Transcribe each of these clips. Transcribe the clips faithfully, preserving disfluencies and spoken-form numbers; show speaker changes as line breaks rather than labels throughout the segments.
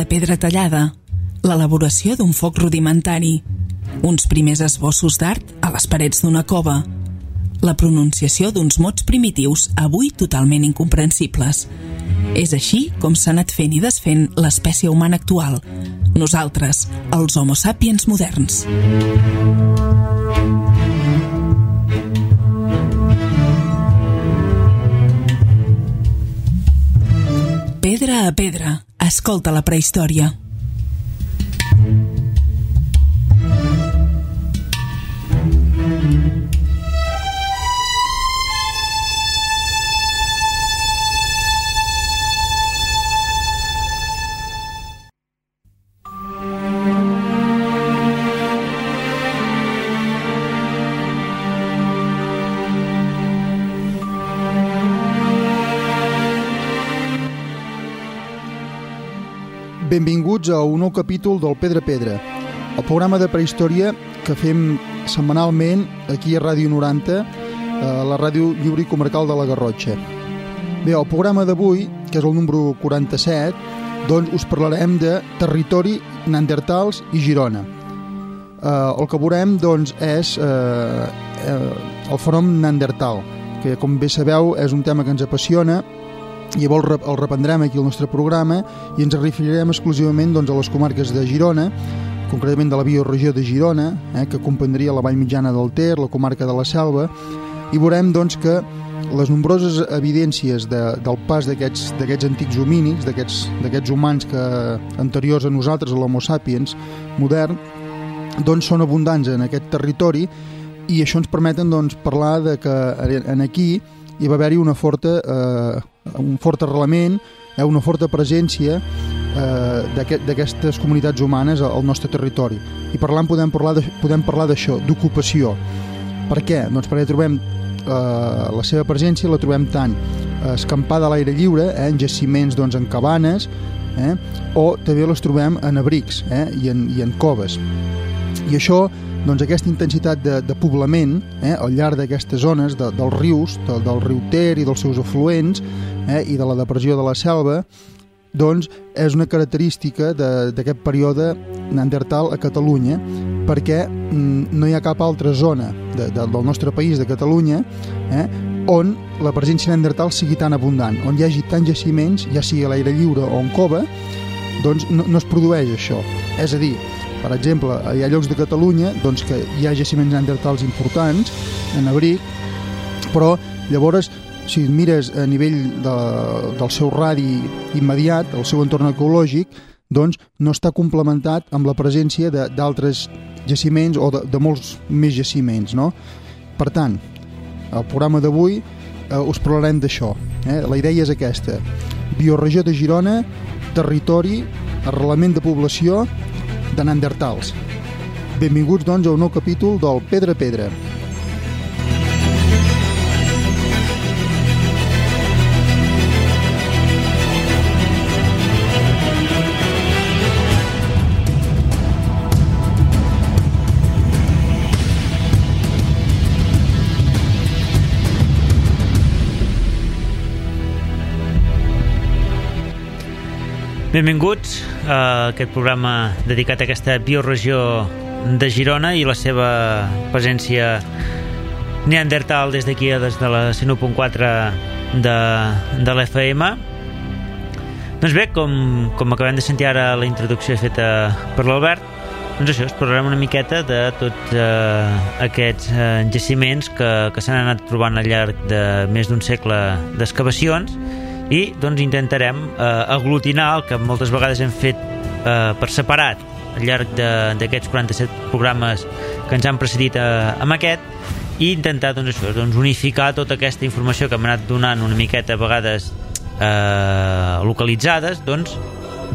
de pedra tallada, l'elaboració d'un foc rudimentari, uns primers esbossos d'art a les parets d'una cova, la pronunciació d'uns mots primitius avui totalment incomprensibles. És així com s'ha anat fent i desfent l'espècie humana actual, nosaltres, els Homo sapiens moderns. Pedra a pedra, escolta la prehistòria.
Benvinguts a un nou capítol del Pedra a Pedra, el programa de prehistòria que fem setmanalment aquí a Ràdio noranta, a la ràdio lliure i comarcal de la Garrotxa. Bé, el programa d'avui, que és el número quaranta-set, doncs us parlarem de territori, neandertals i Girona. Eh, el que veurem doncs, és eh, eh, el fenomen neandertal, que com bé sabeu és un tema que ens apassiona. Llavors el reprendrem aquí al nostre programa i ens referirem exclusivament doncs, a les comarques de Girona, concretament de la bioregió de Girona, eh, que comprendria la Vall Mitjana del Ter, la comarca de la Selva, i veurem doncs, que les nombroses evidències de, del pas d'aquests d'aquests antics homínids, d'aquests humans que, anteriors a nosaltres, a l'Homo sapiens modern, doncs, són abundants en aquest territori, i això ens permeten doncs, parlar de que en aquí hi va haver-hi una forta, eh, un fort arrelament, eh, una forta presència eh, d'aquestes comunitats humanes al nostre territori. I parlant podem parlar de, podem parlar d'això, d'ocupació. Per què? Doncs perquè trobem eh, la seva presència, la trobem tant escampada a l'aire lliure, eh, en jaciments, doncs, en cabanes, eh, o també les trobem en abrics eh, i, en, i en coves. I això, doncs, aquesta intensitat de, de poblament eh, al llarg d'aquestes zones de, dels rius, de, del riu Ter i dels seus afluents eh, i de la depressió de la selva, doncs és una característica d'aquest període neandertal a Catalunya, perquè mm, no hi ha cap altra zona de, de, del nostre país, de Catalunya, eh, on la presència neandertal sigui tan abundant, on hi hagi tants jaciments, ja sigui a l'aire lliure o en cova, doncs no, no es produeix això. És a dir, per exemple, hi ha llocs de Catalunya doncs, que hi ha jaciments neandertals importants en abric, però llavors, si mires a nivell de, del seu radi immediat, el seu entorn ecològic, doncs no està complementat amb la presència d'altres jaciments o de, de molts més jaciments, no? Per tant, al programa d'avui eh, us parlarem d'això. Eh? La idea és aquesta: bioregió de Girona, territori, arrelament de població de neandertals. Benvinguts, doncs, a un nou capítol del Pedra a Pedra.
Benvinguts a aquest programa dedicat a aquesta bioregió de Girona i la seva presència neandertal des d'aquí, des de la cent u punt quatre de, de l'F M. Doncs bé, com, com acabem de sentir ara la introducció feta per l'Albert, doncs això, es parlarem una miqueta de tots eh, aquests eh, jaciments que, que s'han anat trobant al llarg de més d'un segle d'excavacions, i doncs intentarem eh, aglutinar el que moltes vegades hem fet eh, per separat al llarg d'aquests quaranta-set programes que ens han precedit eh, amb aquest, i intentar doncs, això, doncs, unificar tota aquesta informació que hem anat donant una miqueta a vegades eh, localitzades, doncs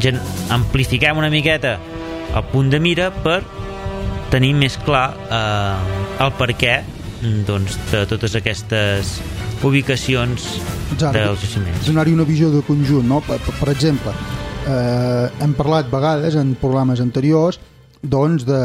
gen amplifiquem una miqueta el punt de mira per tenir més clar eh, el per què doncs, de totes aquestes ubicacions dels jaciments.
Donar-hi una visió de conjunt, no? Per, per exemple, eh, hem parlat vegades en programes anteriors doncs, de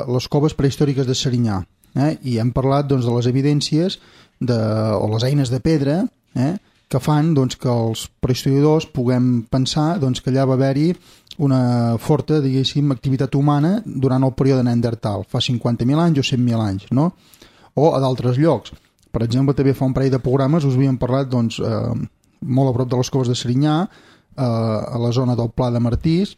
les coves prehistòriques de Serinyà, eh? I hem parlat doncs, de les evidències de, o les eines de pedra eh? que fan doncs, que els prehistoriadors puguem pensar doncs, que allà va haver-hi una forta, diguéssim, activitat humana durant el període Neandertal, fa cinquanta mil anys o cent mil anys, no? O a d'altres llocs. Per exemple, també fa un parell de programes us havíem parlat doncs, eh, molt a prop de les coves de Serinyà, eh, a la zona del Pla de Martís,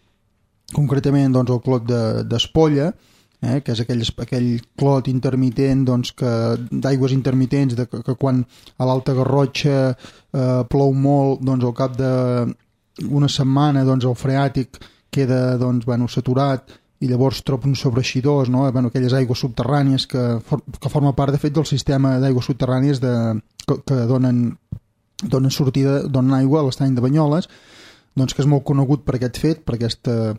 concretament doncs, el clot d'Espolla, de, eh, que és aquell, aquell clot intermitent doncs, d'aigües intermitents de, que, que quan a l'Alta Garrotxa eh, plou molt, doncs, al cap d'una setmana doncs, el freàtic queda doncs, bueno, saturat i llavors troba uns sobreeixidors, no? Bueno, aquelles aigües subterrànies que, for, que forma part de fet del sistema d'aigües subterrànies de, que, que donen, donen sortida, donen aigua a l'estany de Banyoles, doncs que és molt conegut per aquest fet, per aquesta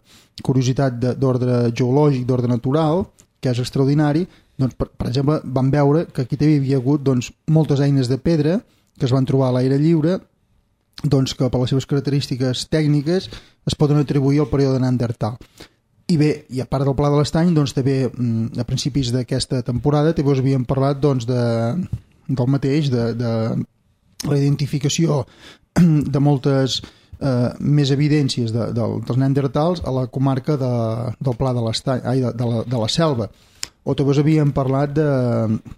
curiositat d'ordre geològic, d'ordre natural, que és extraordinari. Doncs, per, per exemple, van veure que aquí també hi havia hagut doncs, moltes eines de pedra que es van trobar a l'aire lliure, doncs, que per les seves característiques tècniques es poden atribuir al període Neandertal. I bé, i a part del Pla de l'Estany, doncs, també a principis d'aquesta temporada també us havíem parlat doncs, de, del mateix, de, de la identificació de moltes eh, més evidències de, de, dels neandertals a la comarca de, del Pla de l'Estany, ai, de, de, la, de la Selva. O també us havíem parlat de,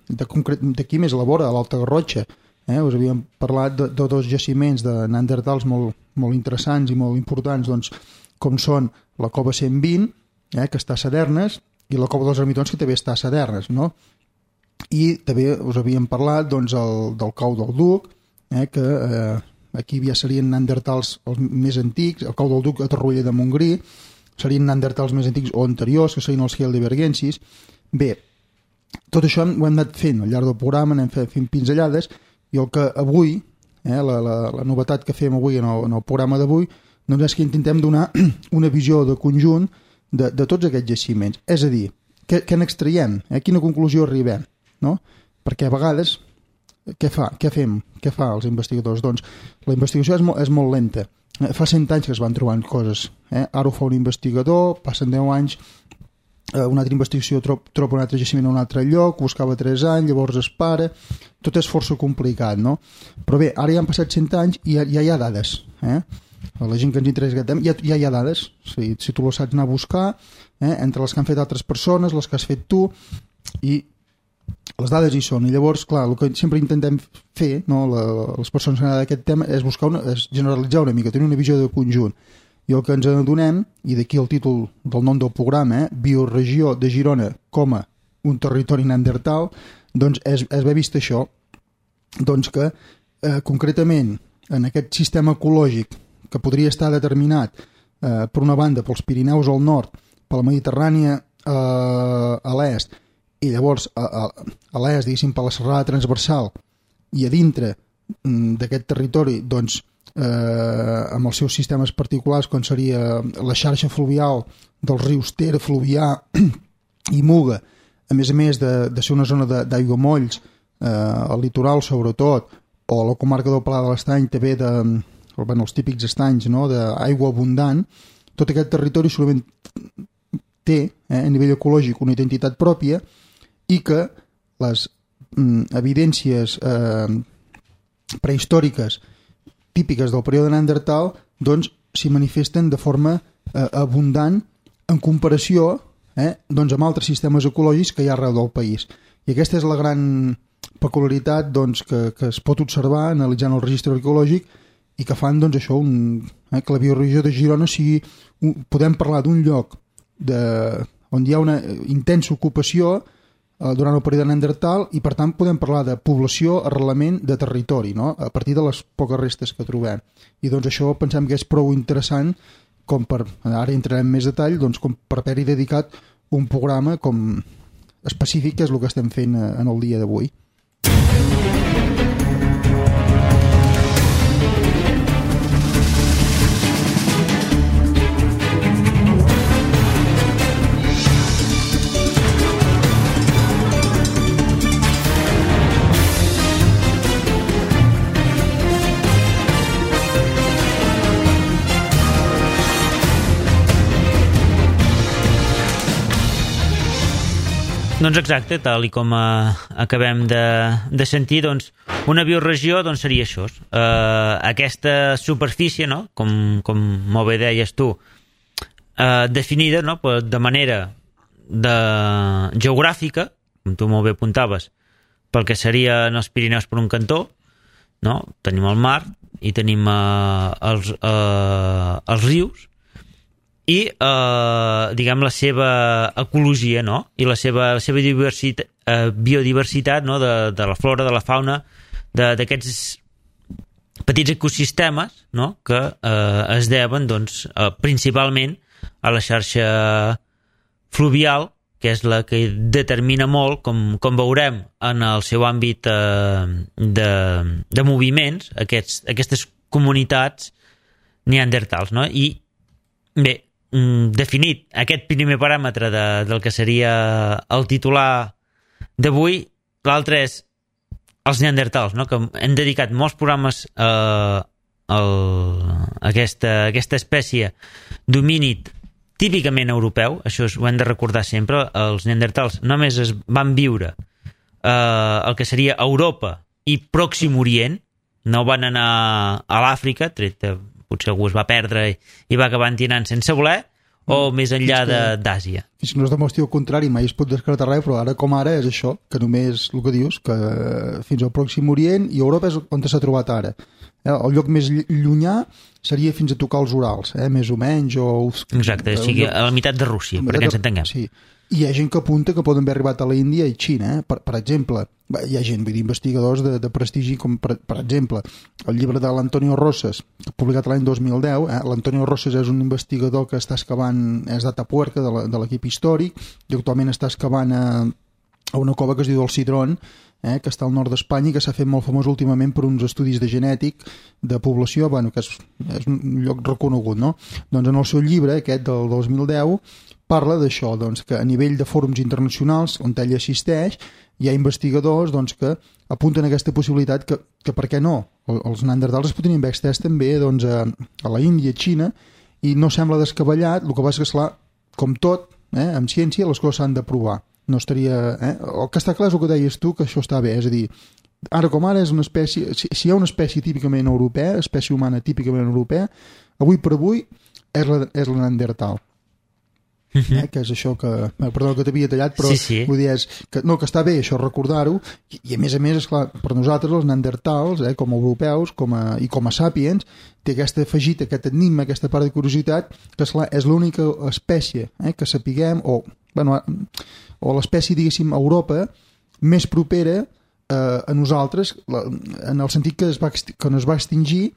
de, concret, de qui més elabora, a l'Alta Garrotxa. Eh? Us havíem parlat de, de dos jaciments de neandertals molt, molt interessants i molt importants, doncs, com són la cova cent vint, eh, que està a Sadernes, i la cova dels Ermitons, que també està a Sadernes, no? I també us havíem parlat doncs, el, del cau del Duc, eh, que eh, aquí ja serien neandertals els més antics, el cau del Duc a Torroella de Montgrí, serien neandertals més antics o anteriors, que serien els heidelbergensis. Bé, tot això ho hem anat fent al llarg del programa, anem fent pinzellades, i el que avui, eh, la, la, la novetat que fem avui en el, en el programa d'avui, doncs és que intentem donar una visió de conjunt de, de tots aquests jaciments. És a dir, què, què n'extraiem? A quina conclusió arribem? No? Perquè a vegades, què fa? Què fem? Què fa els investigadors? Doncs la investigació és, mo és molt lenta. Eh, fa cent anys que es van trobant coses. Eh? Ara ho fa un investigador, passen deu anys, eh, una altra investigació trob, troba un altre jaciment en un altre lloc, buscava tres anys, llavors es para... Tot és força complicat, no? Però bé, ara ja han passat cent anys i ja, ja hi ha dades, eh? La gent que ens interessa aquest tema, ja, ja hi ha dades. Si, si tu les saps anar a buscar, eh? Entre les que han fet altres persones, les que has fet tu, i les dades hi són. I llavors, clar, el que sempre intentem fer, no? La, les persones que han d'aquest tema, és buscar una, és generalitzar una mica, tenir una visió de conjunt. I el que ens adonem, i d'aquí el títol del nom del programa, eh? Bioregió de Girona com a un territori neandertal, doncs és, és haver vist això, doncs que eh, concretament en aquest sistema ecològic que podria estar determinat eh, per una banda pels Pirineus al nord, per la Mediterrània eh, a l'est, i llavors a, a, a l'est, diguéssim, per la serrada transversal, i a dintre d'aquest territori, doncs, eh, amb els seus sistemes particulars, com seria la xarxa fluvial dels rius Ter, Fluvià i Muga, a més a més de, de ser una zona d'aiguamolls, eh, al litoral sobretot, o la comarca del Pla de l'Estany també de, bueno, els típics estanys, no? D'aigua abundant, tot aquest territori solament té eh, a nivell ecològic una identitat pròpia i que les mm, evidències eh, prehistòriques típiques del període Neandertal doncs s'hi manifesten de forma eh, abundant en comparació Eh, doncs amb altres sistemes ecològics que hi ha arreu del país. I aquesta és la gran peculiaritat doncs, que, que es pot observar analitzant el registre arqueològic i que fan doncs, això, un, eh, que la bioregió de Girona sigui, un, podem parlar d'un lloc de, on hi ha una intensa ocupació eh, durant el període Neandertal i per tant podem parlar de població, arrelament de territori, no? A partir de les poques restes que trobem. I doncs això pensem que és prou interessant com per, ara entrarem en més detall, doncs com per haver-hi dedicat un programa com específic, que és el que estem fent en el dia d'avui.
Doncs exacte, tal i com uh, acabem de, de sentir, doncs, una bioregió doncs, seria això. Uh, aquesta superfície, no? com, com molt bé deies tu, uh, definida, no? De manera de... geogràfica, com tu molt bé apuntaves, pel que serien els Pirineus per un cantó, no? Tenim el mar i tenim uh, els, uh, els rius, i eh, diguem la seva ecologia, no? I la seva, la seva diversitat, eh, biodiversitat, no? de, de la flora, de la fauna, d'aquests petits ecosistemes, no? Que eh, es deuen doncs, eh, principalment a la xarxa fluvial, que és la que determina molt, com, com veurem en el seu àmbit eh, de, de moviments, aquests, aquestes comunitats neandertals, no? I bé, definit aquest primer paràmetre de, del que seria el titular d'avui, l'altre és els neandertals, no? Que hem dedicat molts programes a, a aquesta, aquesta espècie d'homínid típicament europeu, això ho hem de recordar sempre, els neandertals només es van viure eh, el que seria Europa i Pròxim Orient, no van anar a l'Àfrica, tret potser algú es va perdre i, i va acabar entinant sense voler, o més enllà d'Àsia.
Fins que no es demostri el contrari, mai es pot descartar res, però ara com ara és això, que només el que dius, que fins al Pròxim Orient i Europa és on s'ha trobat ara. El lloc més llunyà seria fins a tocar els Urals, eh? Més o menys. O...
Exacte, o sigui, a la meitat de Rússia, perquè ens entenguem.
Sí. I hi ha gent que apunta que poden haver arribat a la Índia i Xina, eh? per, per exemple. Hi ha gent, vull dir, investigadors de, de prestigi, com per, per exemple, el llibre de l'Antonio Rosas, publicat l'any dos mil deu. Eh? L'Antonio Rosas és un investigador que està excavant, és d'Atapuerca, de l'equip històric, i actualment està excavant a, a una cova que es diu el Cidrón, eh? Que està al nord d'Espanya i que s'ha fet molt famós últimament per uns estudis de genètic de població, bueno, que és, és un lloc reconegut, no? Doncs en el seu llibre, aquest del dos mil deu, parla d'això, doncs, que a nivell de fòrums internacionals on ell assisteix hi ha investigadors doncs, que apunten a aquesta possibilitat que, que per què no? Els neandertals es podrien haver extès també doncs, a, a la Índia, a Xina, i no sembla descabellat. El que passa és que, esclar, com tot, eh, amb ciència les coses s'han de provar. No estaria, eh? El que està clar és el que deies tu, que això està bé, és a dir, ara com ara és una espècie, si, si hi ha una espècie típicament europea, espècie humana típicament europea, avui per avui és la, és la neandertal. Eh, que és això que... Perdó que t'havia tallat, però
sí, sí.
Vull dir, és que, no, que està bé això recordar-ho, i, i a més a més, esclar, per nosaltres els neandertals, eh, com a europeus com a, i com a sàpiens, té aquesta afegit, aquest enigma, aquesta part de curiositat, que esclar, és l'única espècie eh, que sapiguem, o, bueno, o l'espècie, diguéssim, a Europa, més propera eh, a nosaltres, la, en el sentit que es va, que no es va extingir.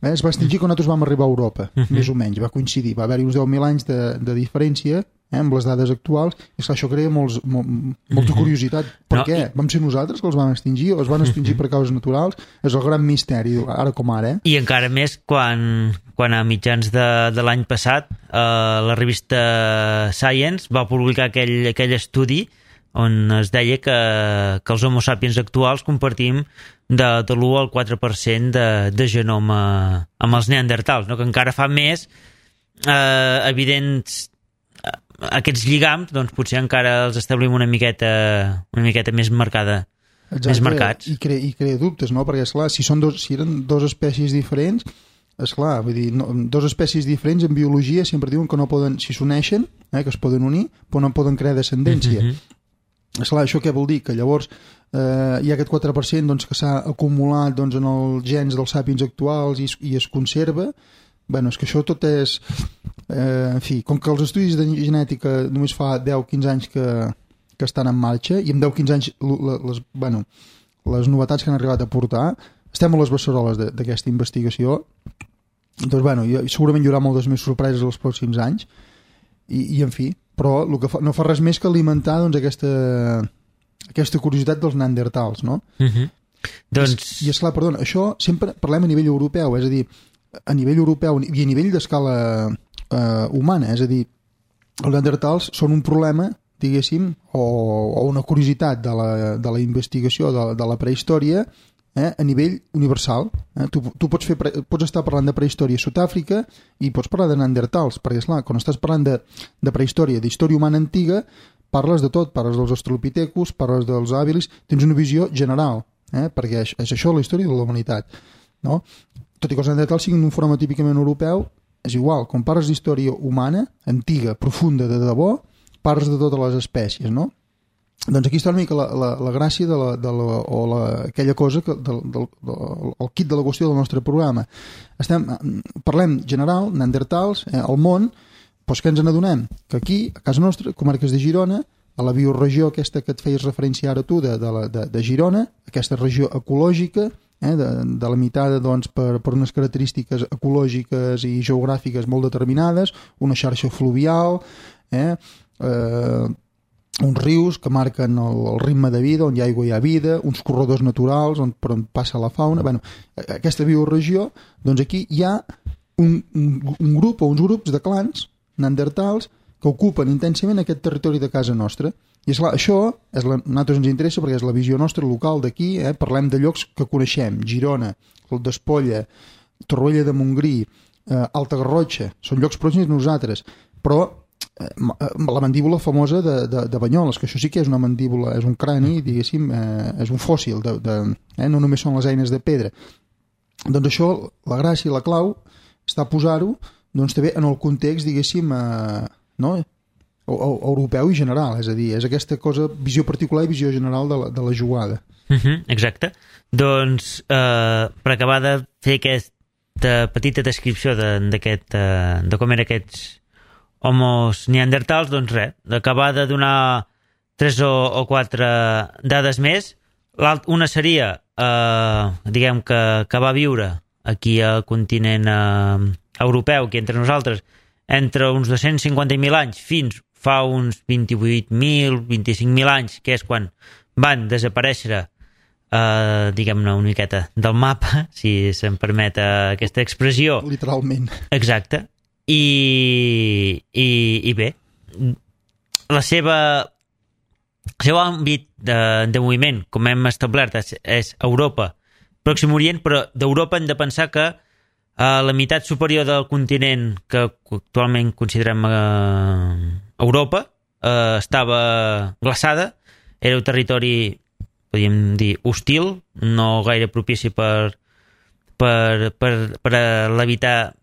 Eh, es va extingir quan nosaltres vam arribar a Europa, uh-huh. més o menys, va coincidir. Va haver-hi uns deu mil anys de, de diferència eh, amb les dades actuals, i esclar, això crea molts, molt, molta curiositat. Per no, què? I... Vam ser nosaltres que els vam extingir o es van extingir per causes naturals? És el gran misteri, ara com ara. Eh?
I encara més quan, quan a mitjans de, de l'any passat eh, la revista Science va publicar aquell, aquell estudi on es deia que, que els homo sapiens actuals compartim de, de l'u al quatre per cent de, de genoma amb els neandertals, no? Que encara fa més eh, evidents eh, aquests lligams, doncs potser encara els establim una miqueta, una miqueta més marcada. Exacte, més marcats.
I crea, i crea dubtes, no? Perquè, esclar, si, són dos, si eren dues espècies diferents, esclar, vull dir, no, dues espècies diferents en biologia sempre diuen que no poden, si s'uneixen, eh, que es poden unir, però no poden crear descendència. Mm-hmm. Esclar, això què vol dir? Que llavors eh, hi ha aquest quatre per cent doncs, que s'ha acumulat doncs, en els gens dels sàpiens actuals i, i es conserva. Bueno, és que això tot és... Eh, en fi, com que els estudis de genètica només fa deu quinze anys que, que estan en marxa, i en deu quinze anys les, bueno, les novetats que han arribat a portar, estem a les beceroles d'aquesta investigació. Doncs, bueno, segurament hi haurà moltes més sorpreses els pròxims anys, i, i en fi, però el que fa, no fa res més que alimentar doncs, aquesta, aquesta curiositat dels neandertals, no?
Uh-huh. Doncs...
I, I esclar, perdona, això sempre parlem a nivell europeu, és a dir, a nivell europeu i a nivell d'escala eh, humana, és a dir, els neandertals són un problema, diguéssim, o, o una curiositat de la, de la investigació de, de la prehistòria, eh, a nivell universal. Eh? Tu, tu pots, fer, pots estar parlant de prehistòria a Sud-àfrica i pots parlar de neandertals, perquè, esclar, quan estàs parlant de, de prehistòria, d'història humana antiga, parles de tot, parles dels australopithecus, parles dels habilis, tens una visió general, eh? Perquè és, és això la història de la humanitat, no? Tot i que els neandertals siguin un forma típicament europeu, és igual, quan parles d'història humana, antiga, profunda, de debò, parles de totes les espècies, no? Doncs aquí està una mica la, la, la gràcia de la, de la, o la, aquella cosa que, del, del, del, el kit de la qüestió del nostre programa. Estem, parlem general, neandertals, eh, al món, doncs què ens n'adonem? Que aquí, a casa nostra, comarques de Girona, a la bioregió aquesta que et feies referència ara tu de, de, la, de, de Girona, aquesta regió ecològica, eh, de, delimitada doncs, per, per unes característiques ecològiques i geogràfiques molt determinades, una xarxa fluvial, eh, eh, uns rius que marquen el, el ritme de vida, on hi ha aigua hi ha vida, uns corredors naturals on, per on passa la fauna. Bueno, aquesta bioregió, doncs aquí hi ha un, un, un grup o uns grups de clans neandertals que ocupen intensament aquest territori de casa nostra. I esclar, això és la, a nosaltres ens interessa perquè és la visió nostra local d'aquí, eh? Parlem de llocs que coneixem, Girona, el d'Espolla, Torroella de Montgrí, eh, Alta Garrotxa, són llocs pròxims a nosaltres, però la mandíbula famosa de, de, de Banyoles, que això sí que és una mandíbula, és un crani, diguéssim, eh, és un fòssil, de, de, eh, no només són les eines de pedra. Doncs això, la gràcia i la clau està a posar-ho doncs, també en el context, diguéssim, eh, no? o, o, europeu i general, és a dir, és aquesta cosa, visió particular i visió general de la, de la jugada.
Uh-huh, exacte. Doncs, eh, per acabar de fer aquesta petita descripció de, d'aquest, eh, de com eren aquests homos neandertals, doncs res, d'acabar de donar tres o, o quatre dades més. Una seria, eh, diguem que, que va viure aquí al continent eh, europeu, aquí entre nosaltres, entre uns dos-cents cinquanta mil anys fins fa uns vint-i-vuit mil, vint-i-cinc mil anys, que és quan van desaparèixer, eh, diguem-ne, una miqueta del mapa, si se'm permet aquesta expressió.
Literalment.
Exacte. I, i, i bé, la seva el seu àmbit de, de moviment, com hem establert, és, és Europa, Pròxim Orient, però d'Europa hem de pensar que a la meitat superior del continent que actualment considerem eh, Europa eh, estava glaçada, era un territori, podríem dir, hostil, no gaire propici per, per, per, per l'habitar,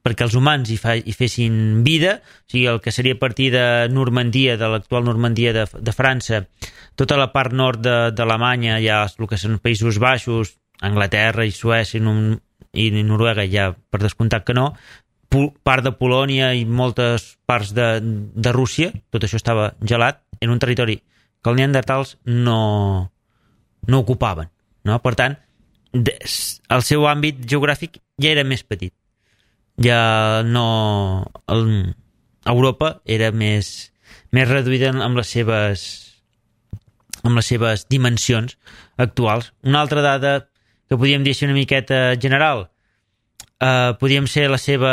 perquè els humans hi, fa, hi fessin vida, o sigui, el que seria a partir de Normandia, de l'actual Normandia de, de França, tota la part nord d'Alemanya, ja el que són Països Baixos, Anglaterra i Suècia i Noruega, ja per descomptat que no, part de Polònia i moltes parts de, de Rússia, tot això estava gelat en un territori que els neandertals no, no ocupaven, no? Per tant, el seu àmbit geogràfic ja era més petit. Ja no... El, Europa era més, més reduïda amb les seves amb les seves dimensions actuals. Una altra dada que podríem dir una miqueta general, eh, podríem ser la seva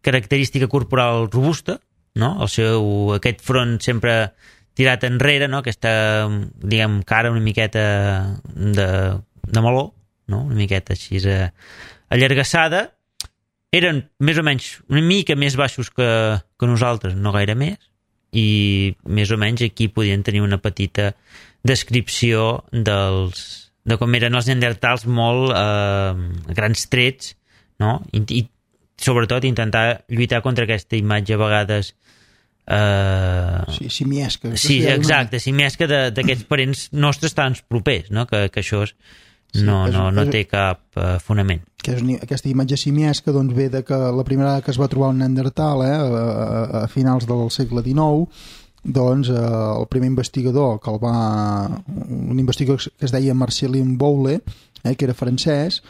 característica corporal robusta, no? El seu, aquest front sempre tirat enrere, no? Aquesta, diguem, cara una miqueta de, de meló, no? Una miqueta així eh, allargassada. Eren més o menys una mica més baixos que, que nosaltres, no gaire més, i més o menys aquí podien tenir una petita descripció dels, de com eren els neandertals, molt eh, grans trets, no? I, i sobretot intentar lluitar contra aquesta imatge a vegades eh...
sí, simiesca.
Sí, exacte, simiesca d'aquests parents nostres tan propers, no? Que, que això és Sí, no, és, no, no té cap uh, fonament.
Que és, aquesta imatge simiesca doncs, ve de que la primera vegada que es va trobar un neandertal eh, a, a finals del segle dinou, doncs eh, el primer investigador que el va... un investigador que es deia Marcelin Boule, eh, que era francès,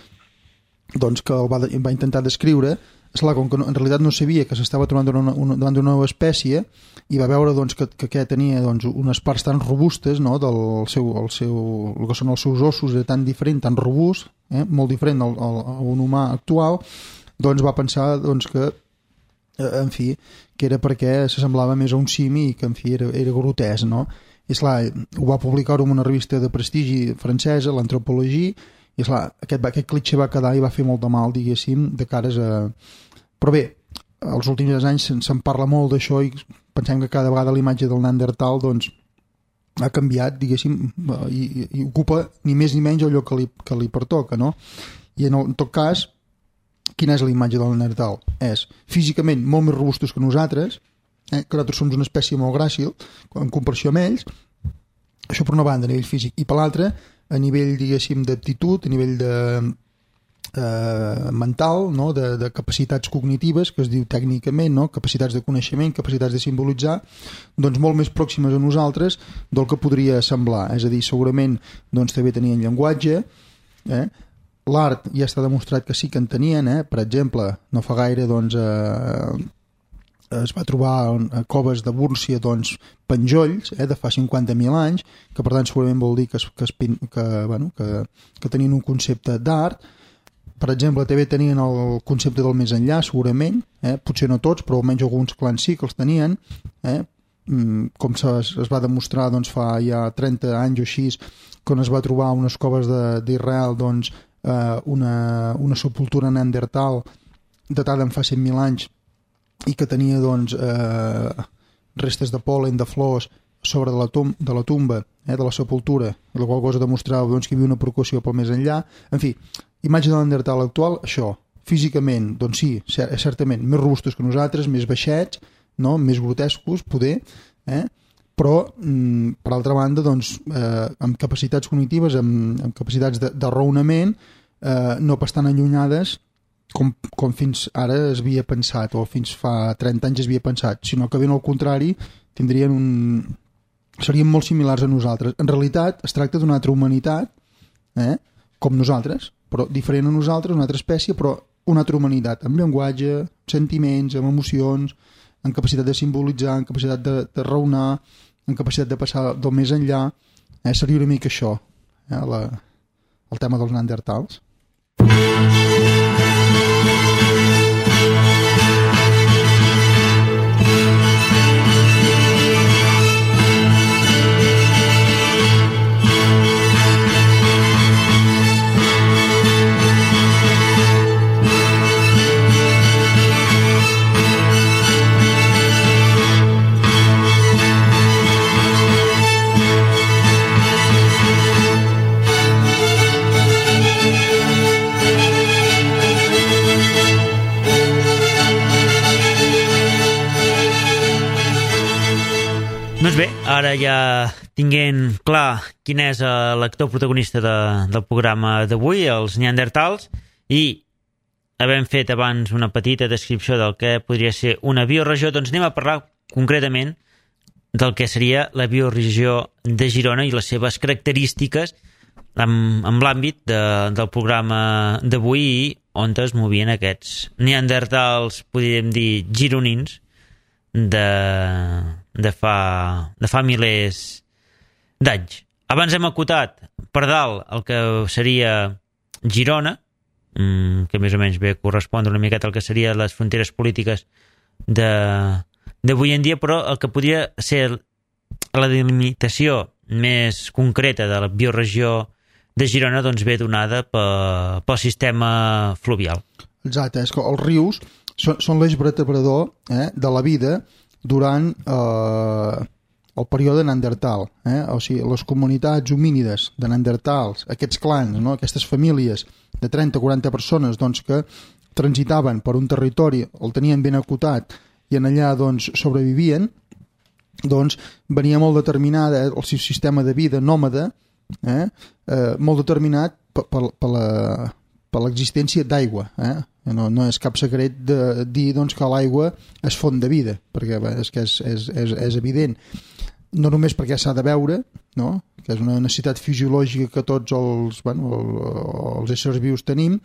doncs que el va, va intentar descriure. Esclar, com que no, en realitat no sabia que s'estava trobant davant d'una, davant d'una nova espècie, i va veure doncs, que, que, que tenia doncs, unes parts tan robustes, no? Del seu, el seu, el que són els seus ossos, era tan diferent, tan robust, eh? Molt diferent al, al, a un humà actual, doncs va pensar doncs, que, eh, en fi, que era perquè s'assemblava més a un simi i que, en fi, era, era grotesc, no? I, esclar, ho va publicar en una revista de prestigi francesa, l'Antropologie, i esclar, aquest, aquest clitxer va quedar i va fer molt de mal, diguéssim, de cares a... Però bé, els últims anys se'n, se'n parla molt d'això i pensem que cada vegada la imatge del Neandertal doncs, ha canviat, diguéssim, i, i ocupa ni més ni menys el lloc que li, que li pertoca, no? I en, el, en tot cas, quina és la imatge del Neandertal? És físicament molt més robustos que nosaltres, eh? que nosaltres som una espècie molt gràcil en comparació amb ells, això per una banda a nivell físic, i per l'altra a nivell, diguéssim, d'aptitud, a nivell de eh, mental, no? de, de capacitats cognitives, que es diu tècnicament, no? Capacitats de coneixement, capacitats de simbolitzar, doncs molt més pròximes a nosaltres del que podria semblar. És a dir, segurament doncs, també tenien llenguatge, eh? L'art ja està demostrat que sí que en tenien, eh? Per exemple, no fa gaire doncs, eh, es va trobar a coves de Búrcia doncs, penjolls eh? de fa cinquanta mil anys, que per tant segurament vol dir que, es, que, es, que, bueno, que, que tenien un concepte d'art. Per exemple, també tenien el concepte del més enllà, segurament, eh? Potser no tots, però almenys alguns clans sí que els tenien, eh? Com se, es va demostrar doncs, fa ja trenta anys o així, quan es va trobar unes coves d'Israel doncs, eh, una, una sepultura neandertal datada en fa cent mil anys i que tenia doncs, eh, restes de pol·len, de flors sobre de la, tum de la tumba, eh, de la sepultura, la qual cosa demostrava doncs, que hi havia una preocupació pel més enllà. En fi, imatge de l'Neandertal actual, això, físicament, doncs sí, certament, més robustos que nosaltres, més baixets, no? Més grotescos, poder, eh? Però, mm, per altra banda, doncs, eh, amb capacitats cognitives, amb, amb capacitats de, de raonament, eh, no pas tan allunyades com, com fins ara es havia pensat, o fins fa trenta anys es havia pensat, sinó que ben al contrari, tindrien un... serien molt similars a nosaltres. En realitat, es tracta d'una altra humanitat, eh? Com nosaltres, però diferent a nosaltres, una altra espècie, però una altra humanitat, amb llenguatge, sentiments, amb emocions, en capacitat de simbolitzar, en capacitat de, de raonar, en capacitat de passar del més enllà. Eh? Seria una mica això, eh? La, el tema dels neandertals.
Doncs bé, ara ja tinguent clar quin és l'actor protagonista de, del programa d'avui, els neandertals, i havent fet abans una petita descripció del que podria ser una bioregió, doncs anem a parlar concretament del que seria la bioregió de Girona i les seves característiques amb, amb l'àmbit de, del programa d'avui i on es movien aquests neandertals, podríem dir gironins, de, de, fa, de fa milers d'anys. Abans hem acotat per dalt el que seria Girona, que més o menys ve a correspondre una miqueta al que serien les fronteres polítiques d'avui en dia, però el que podria ser la delimitació més concreta de la bioregió de Girona doncs ve donada pel, pel sistema fluvial.
Exacte, és que els rius són, són l'eix vertebrador eh, de la vida durant eh, el període neandertal. Eh? O sigui, les comunitats homínides de neandertals, aquests clans, no? Aquestes famílies de trenta a quaranta persones doncs, que transitaven per un territori, el tenien ben acotat i en allà doncs, sobrevivien, doncs venia molt determinada el seu sistema de vida nòmada, eh? Eh, molt determinat per, per, per la per l'existència d'aigua. Eh? No, no és cap secret de dir doncs, que l'aigua és font de vida, perquè bé, és que és, és, és, és evident. No només perquè s'ha de beure, no? Que és una necessitat fisiològica que tots els, bueno, els éssers vius tenim,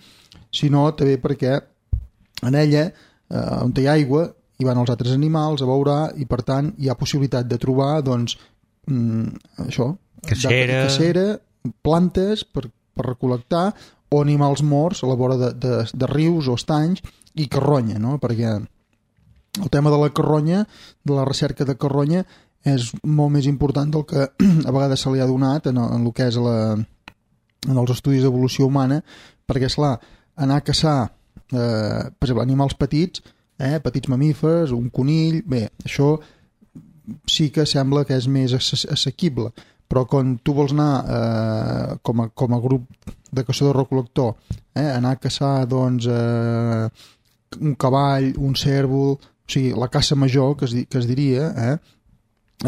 sinó també perquè en ella, eh, on hi ha aigua, hi van els altres animals a beure i per tant hi ha possibilitat de trobar doncs, mm, això,
cacera,
cacera plantes per, per recol·lectar o animals morts a la vora de, de, de rius o estanys i carronya, no? Perquè el tema de la carronya, de la recerca de carronya, és molt més important del que a vegades se li ha donat en, en el que és la, en els estudis d'evolució humana, perquè, esclar, anar a caçar eh, per exemple, animals petits eh? Petits mamífers, un conill, bé, això sí que sembla que és més assequible, però quan tu vols anar eh, com, a, com a grup de caçador-recol·lector, eh, anar a caçar doncs, eh, un cavall, un cèrvol, o sigui, la caça major, que es, que es diria, eh,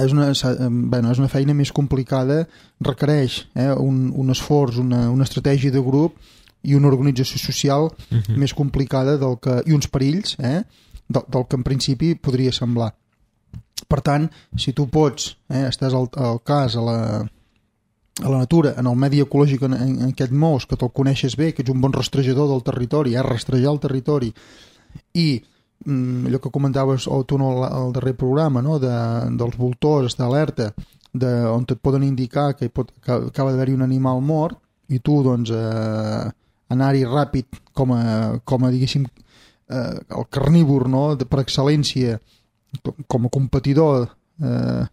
és, una, bueno, és una feina més complicada, requereix eh, un, un esforç, una, una estratègia de grup i una organització social uh-huh. més complicada del que, i uns perills eh, del, del que en principi podria semblar. Per tant, si tu pots, eh, estàs al, al cas, a la, a la natura, en el medi ecològic en, en, en què et mous, que te'l coneixes bé, que ets un bon rastrejador del territori, eh, rastrejar el territori, i mm, allò que comentaves o tu no al darrer programa, no, de, dels voltors, estar alerta, de, on et poden indicar que, hi pot, que acaba d'haver-hi un animal mort, i tu, doncs, eh, anar-hi ràpid com a, com a diguéssim, eh, el carnívor, no, de, per excel·lència, com a competidor eh,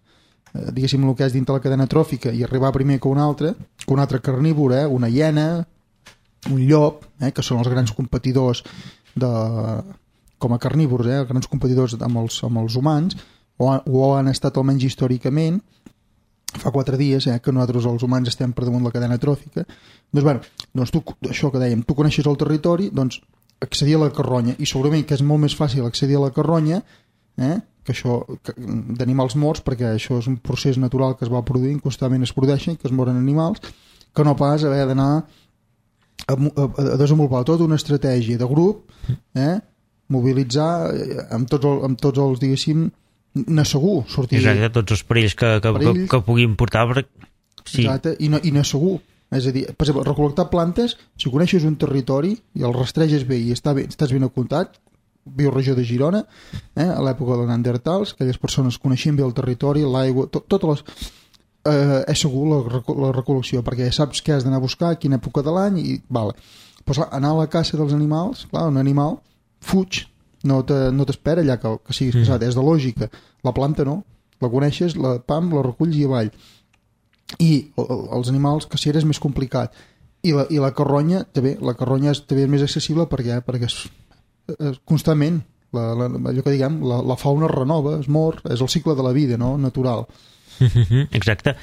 diguéssim el que és dintre la cadena tròfica i arribar primer que un altre que un altre carnívor, eh, una hiena un llop, eh, que són els grans competidors de, com a carnívors, eh, grans competidors amb els, amb els humans o, o han estat almenys històricament fa quatre dies eh, que nosaltres els humans estem per damunt la cadena tròfica doncs, bueno, doncs tu, això que dèiem tu coneixes el territori, doncs accedir a la carronya i segurament que és molt més fàcil accedir a la carronya eh, que això d'animals morts, perquè això és un procés natural que es va produint, constantment es produeixen, que es moren animals, que no pas haver d'anar a, a, a desenvolupar tota una estratègia de grup, eh, mobilitzar amb tots, el, amb tots els, diguéssim, anar segur, sortir...
Exacte, tots els perills que, que, perills, que, que puguin portar... Per... Sí.
Exacte, i anar no segur. És a dir, per exemple, recol·lectar plantes, si coneixes un territori i el rastreges bé i està bé, estàs ben apuntat, bioregió de Girona, eh, a l'època dels neandertals, aquelles persones coneixien bé el territori, l'aigua, tot, totes les... Eh, és segur la, la recol·lecció, perquè saps què has d'anar a buscar, a quina època de l'any, i vale. Però anar a la caça dels animals, clar, un animal fuig, no t'espera allà que, que siguis caçat, mm. és de lògica. La planta no, la coneixes, la pam, la reculls i avall. I els animals caceres és més complicat. I la, i la carronya, també, la carronya és també més accessible perquè, perquè és constantment la, la, allò que diguem la, la fauna es renova, es mor, és el cicle de la vida, no? Natural.
Exacte,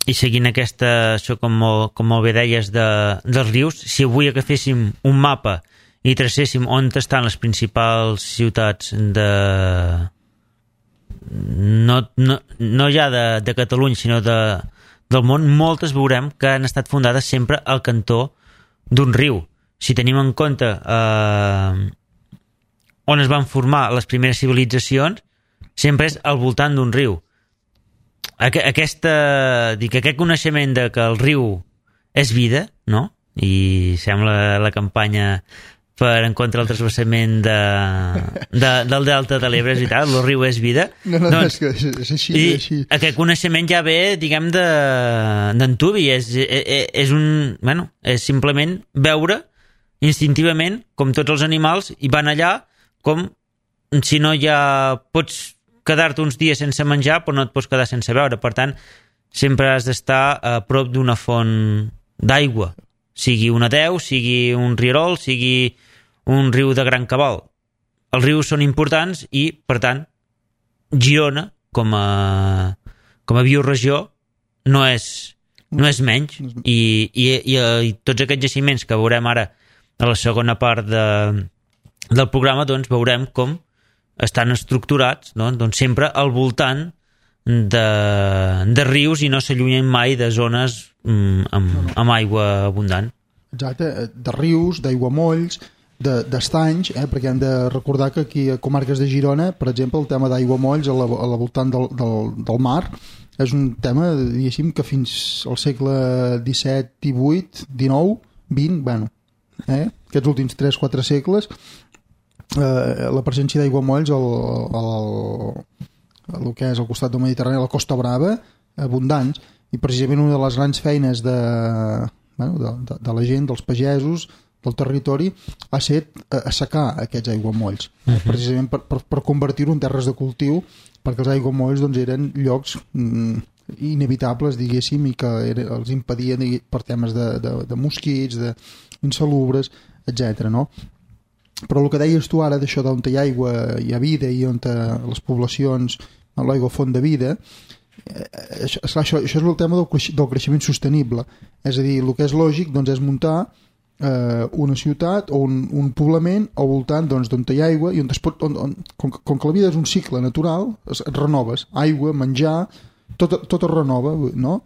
i seguint aquesta, això com molt, com molt bé deies de, dels rius, si avui agaféssim un mapa i tracéssim on estan les principals ciutats de no, no, no ja de, de Catalunya sinó de, del món, moltes veurem que han estat fundades sempre al cantó d'un riu. Si tenim en compte eh, on es van formar les primeres civilitzacions, sempre és al voltant d'un riu. Aquesta, dic, aquest coneixement de que el riu és vida, no? I sembla la campanya per en contra del transvasament de, de, del delta de l'Ebre, és veritat, el riu és vida.
No, no,
doncs,
és que és així,
i
és així.
Aquest coneixement ja ve, diguem, d'antuvi, és, és, és un, bueno, és simplement veure instintivament, com tots els animals, i van allà com si no ja pots quedar-te uns dies sense menjar, però no et pots quedar sense beure. Per tant, sempre has d'estar a prop d'una font d'aigua, sigui una deu, sigui un rierol, sigui un riu de gran cabal. Els rius són importants i, per tant, Girona, com a, com a bioregió, no és, no és menys. I, i, i, i tots aquests jaciments que veurem ara a la segona part de, del programa, doncs veurem com estan estructurats, no? Doncs sempre al voltant de, de rius i no s'allunyen mai de zones mm, amb, amb aigua abundant.
Exacte, de rius, d'aiguamolls, d'estanys, eh? Perquè hem de recordar que aquí a comarques de Girona, per exemple, el tema d'aiguamolls a la, a la voltant del, del, del mar és un tema, diguéssim, que fins al segle disset, divuit, dinou, vint, bueno, eh? aquests últims tres quatre segles, eh, la presència d'aiguamolls al, al, al que és al costat del Mediterrani, a la Costa Brava, abundants, i precisament una de les grans feines de, bueno, de, de, de la gent, dels pagesos, del territori, ha set assecar aquests aiguamolls, uh -huh. precisament per, per, per convertir-ho en terres de cultiu, perquè els aiguamolls doncs, eren llocs mm, inevitables, diguéssim, i que era, els impedien per temes de, de, de mosquits, d'insalubres, etcètera. No? però el que deies tu ara d'això d'on hi ha aigua hi ha vida i on les poblacions l'aigua font de vida, eh, això, això, això és el tema del, creixement, del creixement sostenible, és a dir, el que és lògic doncs, és muntar eh, una ciutat o un, un poblament al voltant doncs, d'on hi ha aigua i on es pot, on, on, com, com que la vida és un cicle natural, es, et renoves, aigua, menjar, tot, tot es renova, no?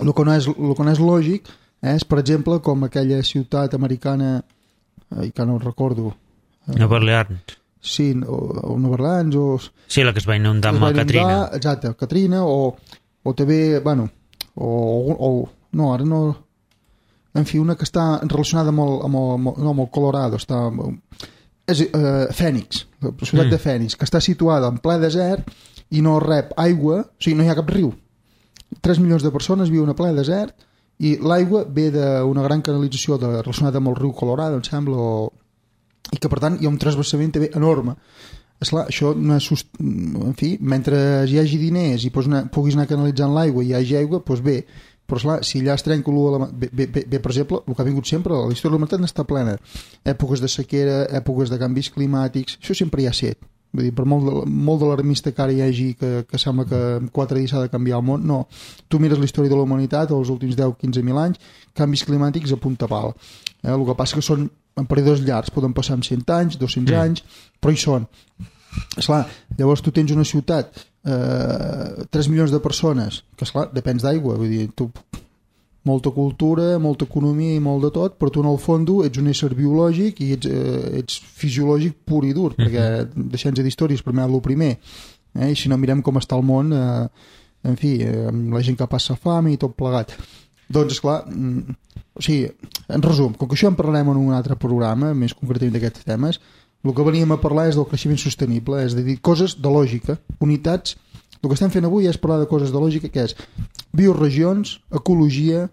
El que no és, el que no és lògic és, per exemple, com aquella ciutat americana, eh, que no recordo,
eh, Nova Orleans.
Sí, o, o Nova Orleans, o...
Sí, la que es va inundar amb la Katrina.
Exacte, Katrina, o, o també, bueno, o, o... No, ara no... En fi, una que està relacionada amb el, amb el, no, amb el Colorado, està... És uh, Phoenix, la ciutat mm. de Phoenix, que està situada en ple desert i no rep aigua, o sigui, no hi ha cap riu. tres milions de persones viuen a ple desert i l'aigua ve d'una gran canalització de, relacionada amb el riu Colorado, em sembla, o... i que per tant hi ha un transversament també enorme. Esclar, això no és sust... en fi, mentre hi hagi diners i anar, puguis anar canalitzant l'aigua i hi hagi aigua, doncs bé, però esclar, si allà es trenca l'u de la... bé, bé, bé, per exemple, el que ha vingut sempre, la història de la humanitat està plena, èpoques de sequera, èpoques de canvis climàtics, això sempre hi ha set. Vull dir, per molt, de, molt d'alarmista que ara hi hagi que, que sembla que en quatre dies s'ha de canviar el món, no, tu mires la història de la humanitat els últims deu a quinze mil anys, canvis climàtics a punta pal, eh? El que passa que són en períodes llargs, poden passar en cent anys, dos-cents mm. anys, però hi són. Esclar, llavors tu tens una ciutat, eh, tres milions de persones, que esclar, depens d'aigua, vull dir, tu, molta cultura, molta economia i molt de tot, però tu en el fons ets un ésser biològic i ets, eh, ets fisiològic pur i dur, mm-hmm. perquè deixem-nos d'històries, primer el primer, eh? I si no mirem com està el món, eh, en fi, eh, amb la gent que passa fam i tot plegat. Doncs, esclar, mm, o sigui, en resum, com que això en parlarem en un altre programa, més concretament d'aquests temes, el que veníem a parlar és del creixement sostenible, és a dir, coses de lògica, unitats. El que estem fent avui és parlar de coses de lògica, que és bioregions, ecologia,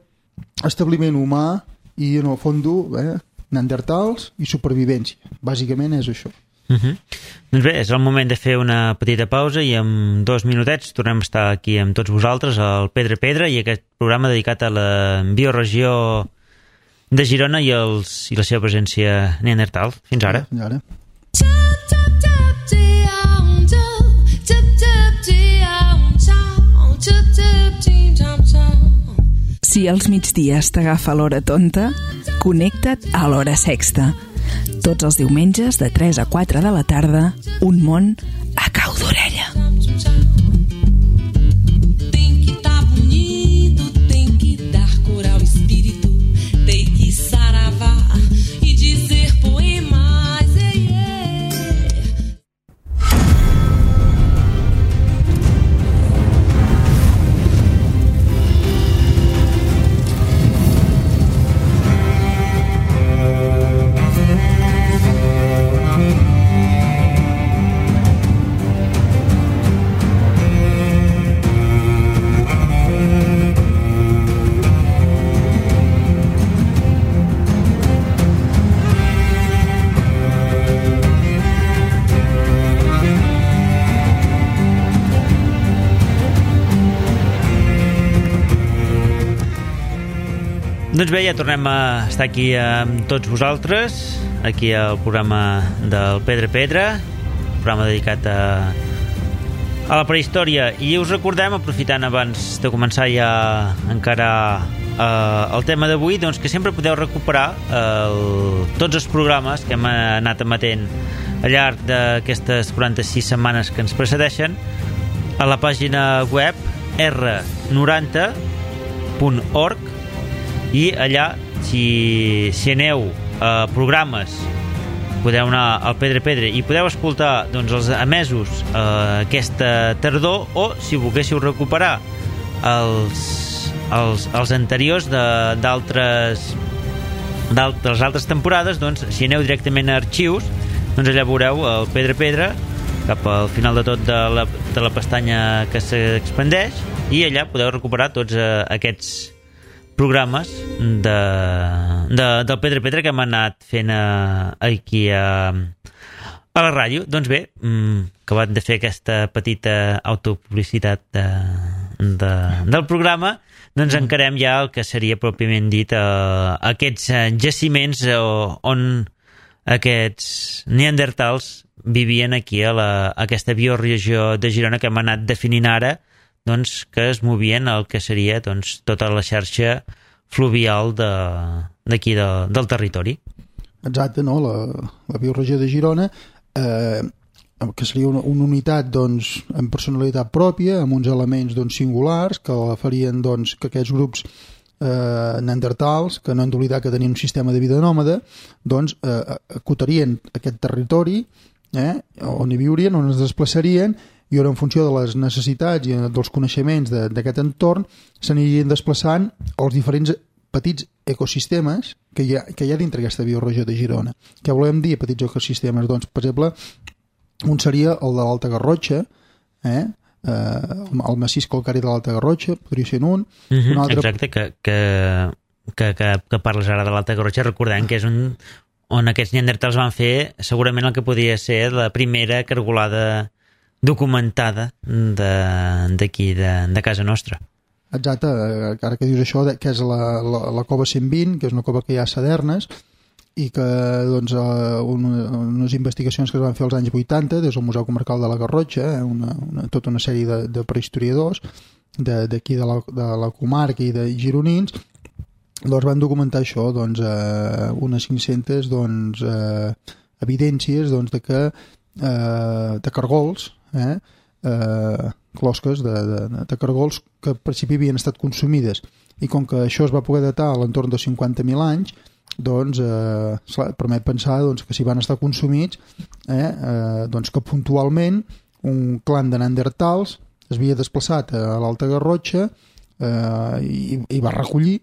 establiment humà i, en el fons, eh, neandertals i supervivència. Bàsicament és això.
Uh-huh. Doncs bé, és el moment de fer una petita pausa i en dos minutets tornem a estar aquí amb tots vosaltres al Pedra Pedra i aquest programa dedicat a la bioregió de Girona i, els, i la seva presència neandertal. Fins ara.
Fins ara.
Si als migdies t'agafa l'hora tonta, connecta't a l'hora sexta. Tots els diumenges de tres a quatre de la tarda, un món a cau d'orella. Tem que tá bonito, tem que dar cor ao espírito, tem que saravar e dizer poemas.
Doncs bé, ja tornem a estar aquí amb tots vosaltres, aquí al programa del Pedra Pedra, programa dedicat a, a la prehistòria. I us recordem, aprofitant abans de començar ja encara eh, el tema d'avui, doncs que sempre podeu recuperar el, tots els programes que hem anat emetent al llarg d'aquestes quaranta-sis setmanes que ens precedeixen a la pàgina web erre noranta punt org. I allà, si, si aneu a programes, podeu anar al Pedra Pedra i podeu escoltar doncs, els emesos eh, aquesta tardor, o si volguéssiu recuperar els, els, els anteriors d'altres de les altres temporades, doncs si aneu directament a arxius, doncs allà veureu el Pedra Pedra cap al final de tot de la, de la pestanya que s'expandeix, i allà podeu recuperar tots eh, aquests programes de, de, del Pedra Pedra que hem anat fent a, aquí a, a la ràdio. Doncs bé, acabat de fer aquesta petita autopublicitat de, de, del programa, doncs encarem ja el que seria pròpiament dit eh, aquests jaciments on aquests neandertals vivien aquí a, la, a aquesta bioregió de Girona que hem anat definint ara, doncs, que es movien el que seria doncs, tota la xarxa fluvial d'aquí de, de, del territori.
Exacte, no? La, la bioregió de Girona, eh, que seria una, una unitat doncs, amb personalitat pròpia, amb uns elements doncs, singulars que la farien doncs, que aquests grups eh, neandertals, que no hem d'oblidar que tenien un sistema de vida nòmada, doncs eh, acotarien aquest territori, eh, on hi viurien, on es desplaçarien, i on en funció de les necessitats i dels coneixements d'aquest entorn s'anirien desplaçant els diferents petits ecosistemes que hi ha, que hi ha dintre aquesta bioregió de Girona. Què volem dir petits ecosistemes? Doncs, per exemple, un seria el de l'Alta Garrotxa, eh? Eh, el massís calcari de l'Alta Garrotxa, podria ser un.
Mm-hmm,
un altre...
Exacte, que, que, que, que, que parles ara de l'Alta Garrotxa, recordant que és un, on aquests neandertals van fer segurament el que podria ser la primera cargolada documentada d'aquí, de, de, de casa nostra.
Exacte, ara que dius això, que és la, la, la cova cent vint, que és una cova que hi ha a Sadernes, i que doncs, una, unes investigacions que es van fer als anys vuitanta des del Museu Comarcal de la Garrotxa, eh, una, una, tota una sèrie de, de prehistoriadors d'aquí de, de, la, de la comarca i de gironins, doncs van documentar això, doncs, eh, unes cinc-centes doncs, eh, evidències doncs, de que eh, de cargols, eh, eh, closques de, de, de cargols que al principi havien estat consumides, i com que això es va poder datar a l'entorn de cinquanta mil anys, doncs eh, permet pensar doncs, que si van estar consumits, eh, eh, doncs que puntualment un clan de neandertals es havia desplaçat a l'Alta Garrotxa eh, i, i va recollir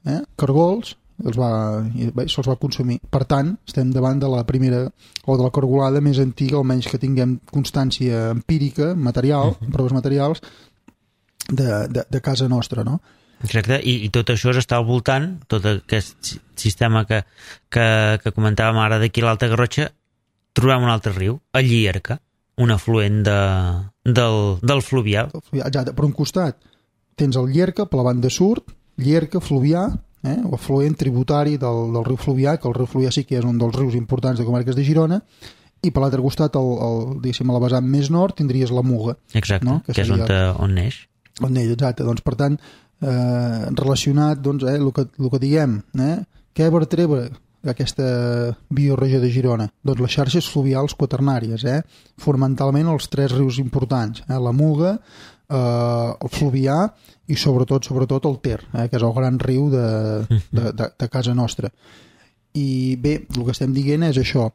eh, cargols, els va, i bé, se'ls va consumir. Per tant, estem davant de la primera o de la cargolada més antiga, almenys que tinguem constància empírica, material, uh-huh. proves materials de, de, de casa nostra, no?
Exacte, I, i tot això està al voltant, tot aquest sistema que, que, que comentàvem ara d'aquí a l'Alta Garrotxa, trobem un altre riu, el Llierca, un afluent de, del, del fluvià.
Exacte, per un costat tens el Llierca, per la banda sud, Llierca, fluvià, eh, o afluent tributari del, del riu Fluvià, que el riu Fluvià sí que és un dels rius importants de comarques de Girona, i per l'altre costat, el, el, diguéssim, a la vessant més nord, tindries la Muga.
Exacte, no? que, que és on, te, on neix.
On neix, exacte. Doncs, per tant, eh, relacionat, doncs, eh, el que, el que diguem, eh, què vertebra aquesta bioregió de Girona? Doncs les xarxes fluvials quaternàries, eh? Fonamentalment els tres rius importants, eh? la Muga, eh, el Fluvià i sobretot sobretot el Ter, eh? que és el gran riu de, de, de, de casa nostra. I bé, el que estem dient és això,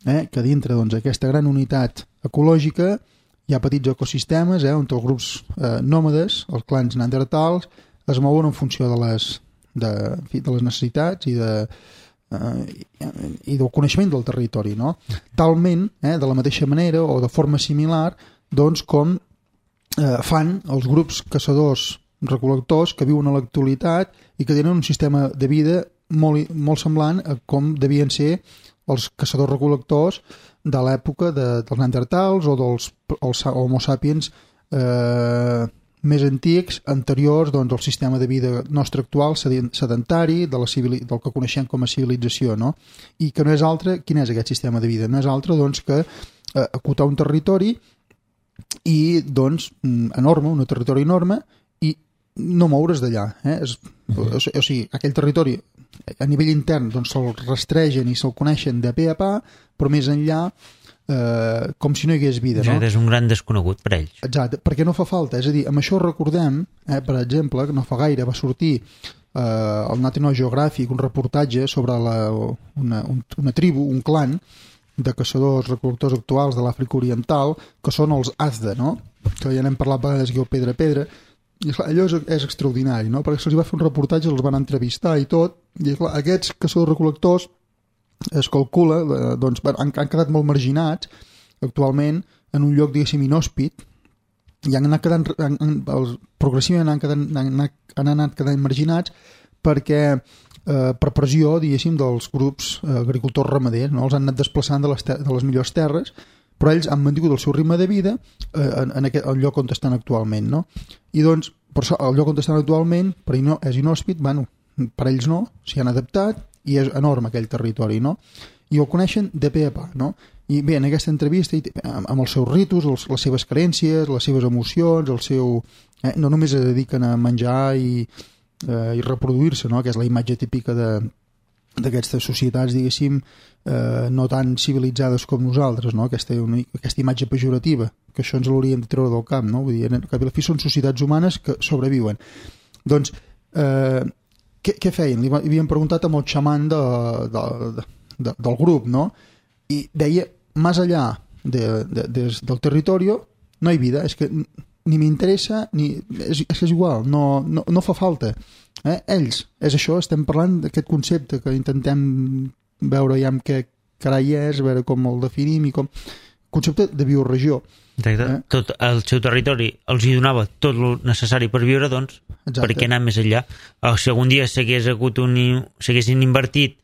eh? que dintre doncs, aquesta gran unitat ecològica hi ha petits ecosistemes eh? on els grups eh, nòmades, els clans neandertals, es mouen en funció de les, de, en fi, de les necessitats i de Uh, i, i del coneixement del territori, no? Talment, eh, de la mateixa manera o de forma similar, doncs com eh, fan els grups caçadors recol·lectors que viuen a l'actualitat i que tenen un sistema de vida molt, molt semblant a com devien ser els caçadors recol·lectors de l'època de, dels neandertals o dels els homo sapiens eh, més antics, anteriors doncs, al sistema de vida nostre actual, sedentari, de la civili- del que coneixem com a civilització, no? I que no és altre, quin és aquest sistema de vida? No és altre doncs, que eh, acotar un territori i, doncs, enorme, un territori enorme, i no moure's d'allà. Eh? És, uh-huh. o, o sigui, aquell territori a nivell intern doncs, se'l rastregen i se'l coneixen de pe a pa, però més enllà Eh, com si no hi hagués vida, no?
És un gran desconegut per ells.
Exacte, perquè no fa falta, és a dir, amb això recordem, eh, per exemple, que no fa gaire va sortir eh, el National Geographic un reportatge sobre la, una, un, una tribu, un clan de caçadors recol·lectors actuals de l'Àfrica Oriental, que són els Azda, no? Que ja n'hem parlat a vegades aquí al Pedra a Pedra, i clar, allò és, és extraordinari, no? Perquè se'ls va fer un reportatge, els van entrevistar i tot, i clar, aquests caçadors recol·lectors es calcula, doncs han, han quedat molt marginats actualment en un lloc, diguéssim, inhòspit, i han anat quedant, han, han, els, progressivament han, quedant, han, anat, han anat quedant marginats perquè eh, per pressió, diguéssim, dels grups eh, agricultors ramaders, no? Els han anat desplaçant de les, ter- de les millors terres, però ells han mantingut el seu ritme de vida eh, en, en aquest, el lloc on estan actualment, no? I doncs, per això, el lloc on estan actualment, per no, és inhòspit, bueno, per ells no, s'hi han adaptat, i és enorme aquell territori, no? i el coneixen de pe a pa, no? I bé, en aquesta entrevista, amb els seus ritus, els, les seves creences, les seves emocions, el seu... Eh, no només es dediquen a menjar i, eh, i reproduir-se, no? Que és la imatge típica de d'aquestes societats, diguéssim, eh, no tan civilitzades com nosaltres, no? Aquesta, una, aquesta imatge pejorativa, que això ens l'hauríem de treure del cap, no? Vull dir, en cap i a la fi són societats humanes que sobreviuen. Doncs, eh, què, què feien? Li havien preguntat amb el xaman de, de, de, de, del grup, no? I deia, més allà de, de, de, del territori no hi ha vida, és que ni m'interessa, ni és, és igual, no, no, no fa falta. Eh? Ells, és això, estem parlant d'aquest concepte que intentem veure ja amb què carai és, veure com el definim i com... Concepte de bioregió.
Exacte. Eh? Tot el seu territori els hi donava tot el necessari per viure, doncs, exacte. Per què anar més enllà? O si algun dia s'hagués hagut un, s'haguessin invertit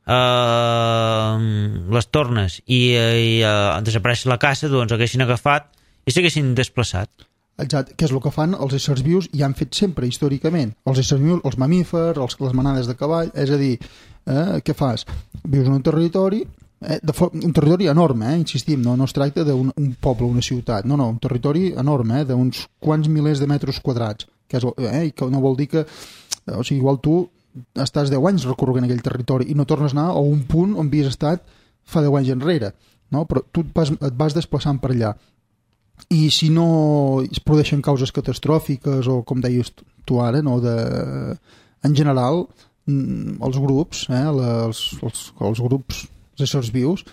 eh, les tornes i, i eh, desapareix la caça, doncs haguessin agafat i s'haguessin desplaçat.
Exacte, que és el que fan els éssers vius i han fet sempre, històricament. Els éssers vius, els mamífers, els, les manades de cavall, és a dir, eh, què fas? Vius en un territori, eh, de un territori enorme, eh, insistim, no, no es tracta d'un un poble, una ciutat, no, no, un territori enorme, eh, d'uns quants milers de metres quadrats, que és, eh, que no vol dir que, o sigui, igual tu estàs deu anys recorrent aquell territori i no tornes a anar a un punt on havies estat fa deu anys enrere, no? Però tu et vas, et vas desplaçant per allà. I si no es produeixen causes catastròfiques o com deies tu ara, no, de, en general els grups eh, els, els, els grups els éssers vius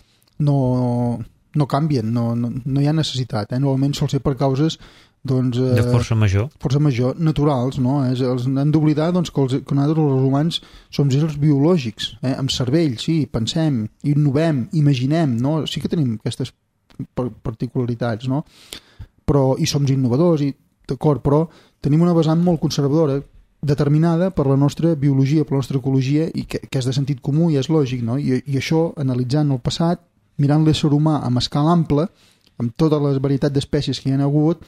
no, no canvien, no, no, no hi ha necessitat, eh? Normalment sol ser per causes doncs, eh,
de força major
força major, naturals, no? És, els, han d'oblidar doncs, que, els, que nosaltres els humans som éssers biològics, eh? Amb cervell, sí, pensem, innovem, imaginem, no? Sí que tenim aquestes particularitats, no? Però, i som innovadors, i, d'acord, però tenim una vessant molt conservadora, determinada per la nostra biologia, per la nostra ecologia, i que, que és de sentit comú i és lògic, no? I, i això, analitzant el passat, mirant l'ésser humà amb escala ampla, amb totes les varietats d'espècies que hi ha hagut,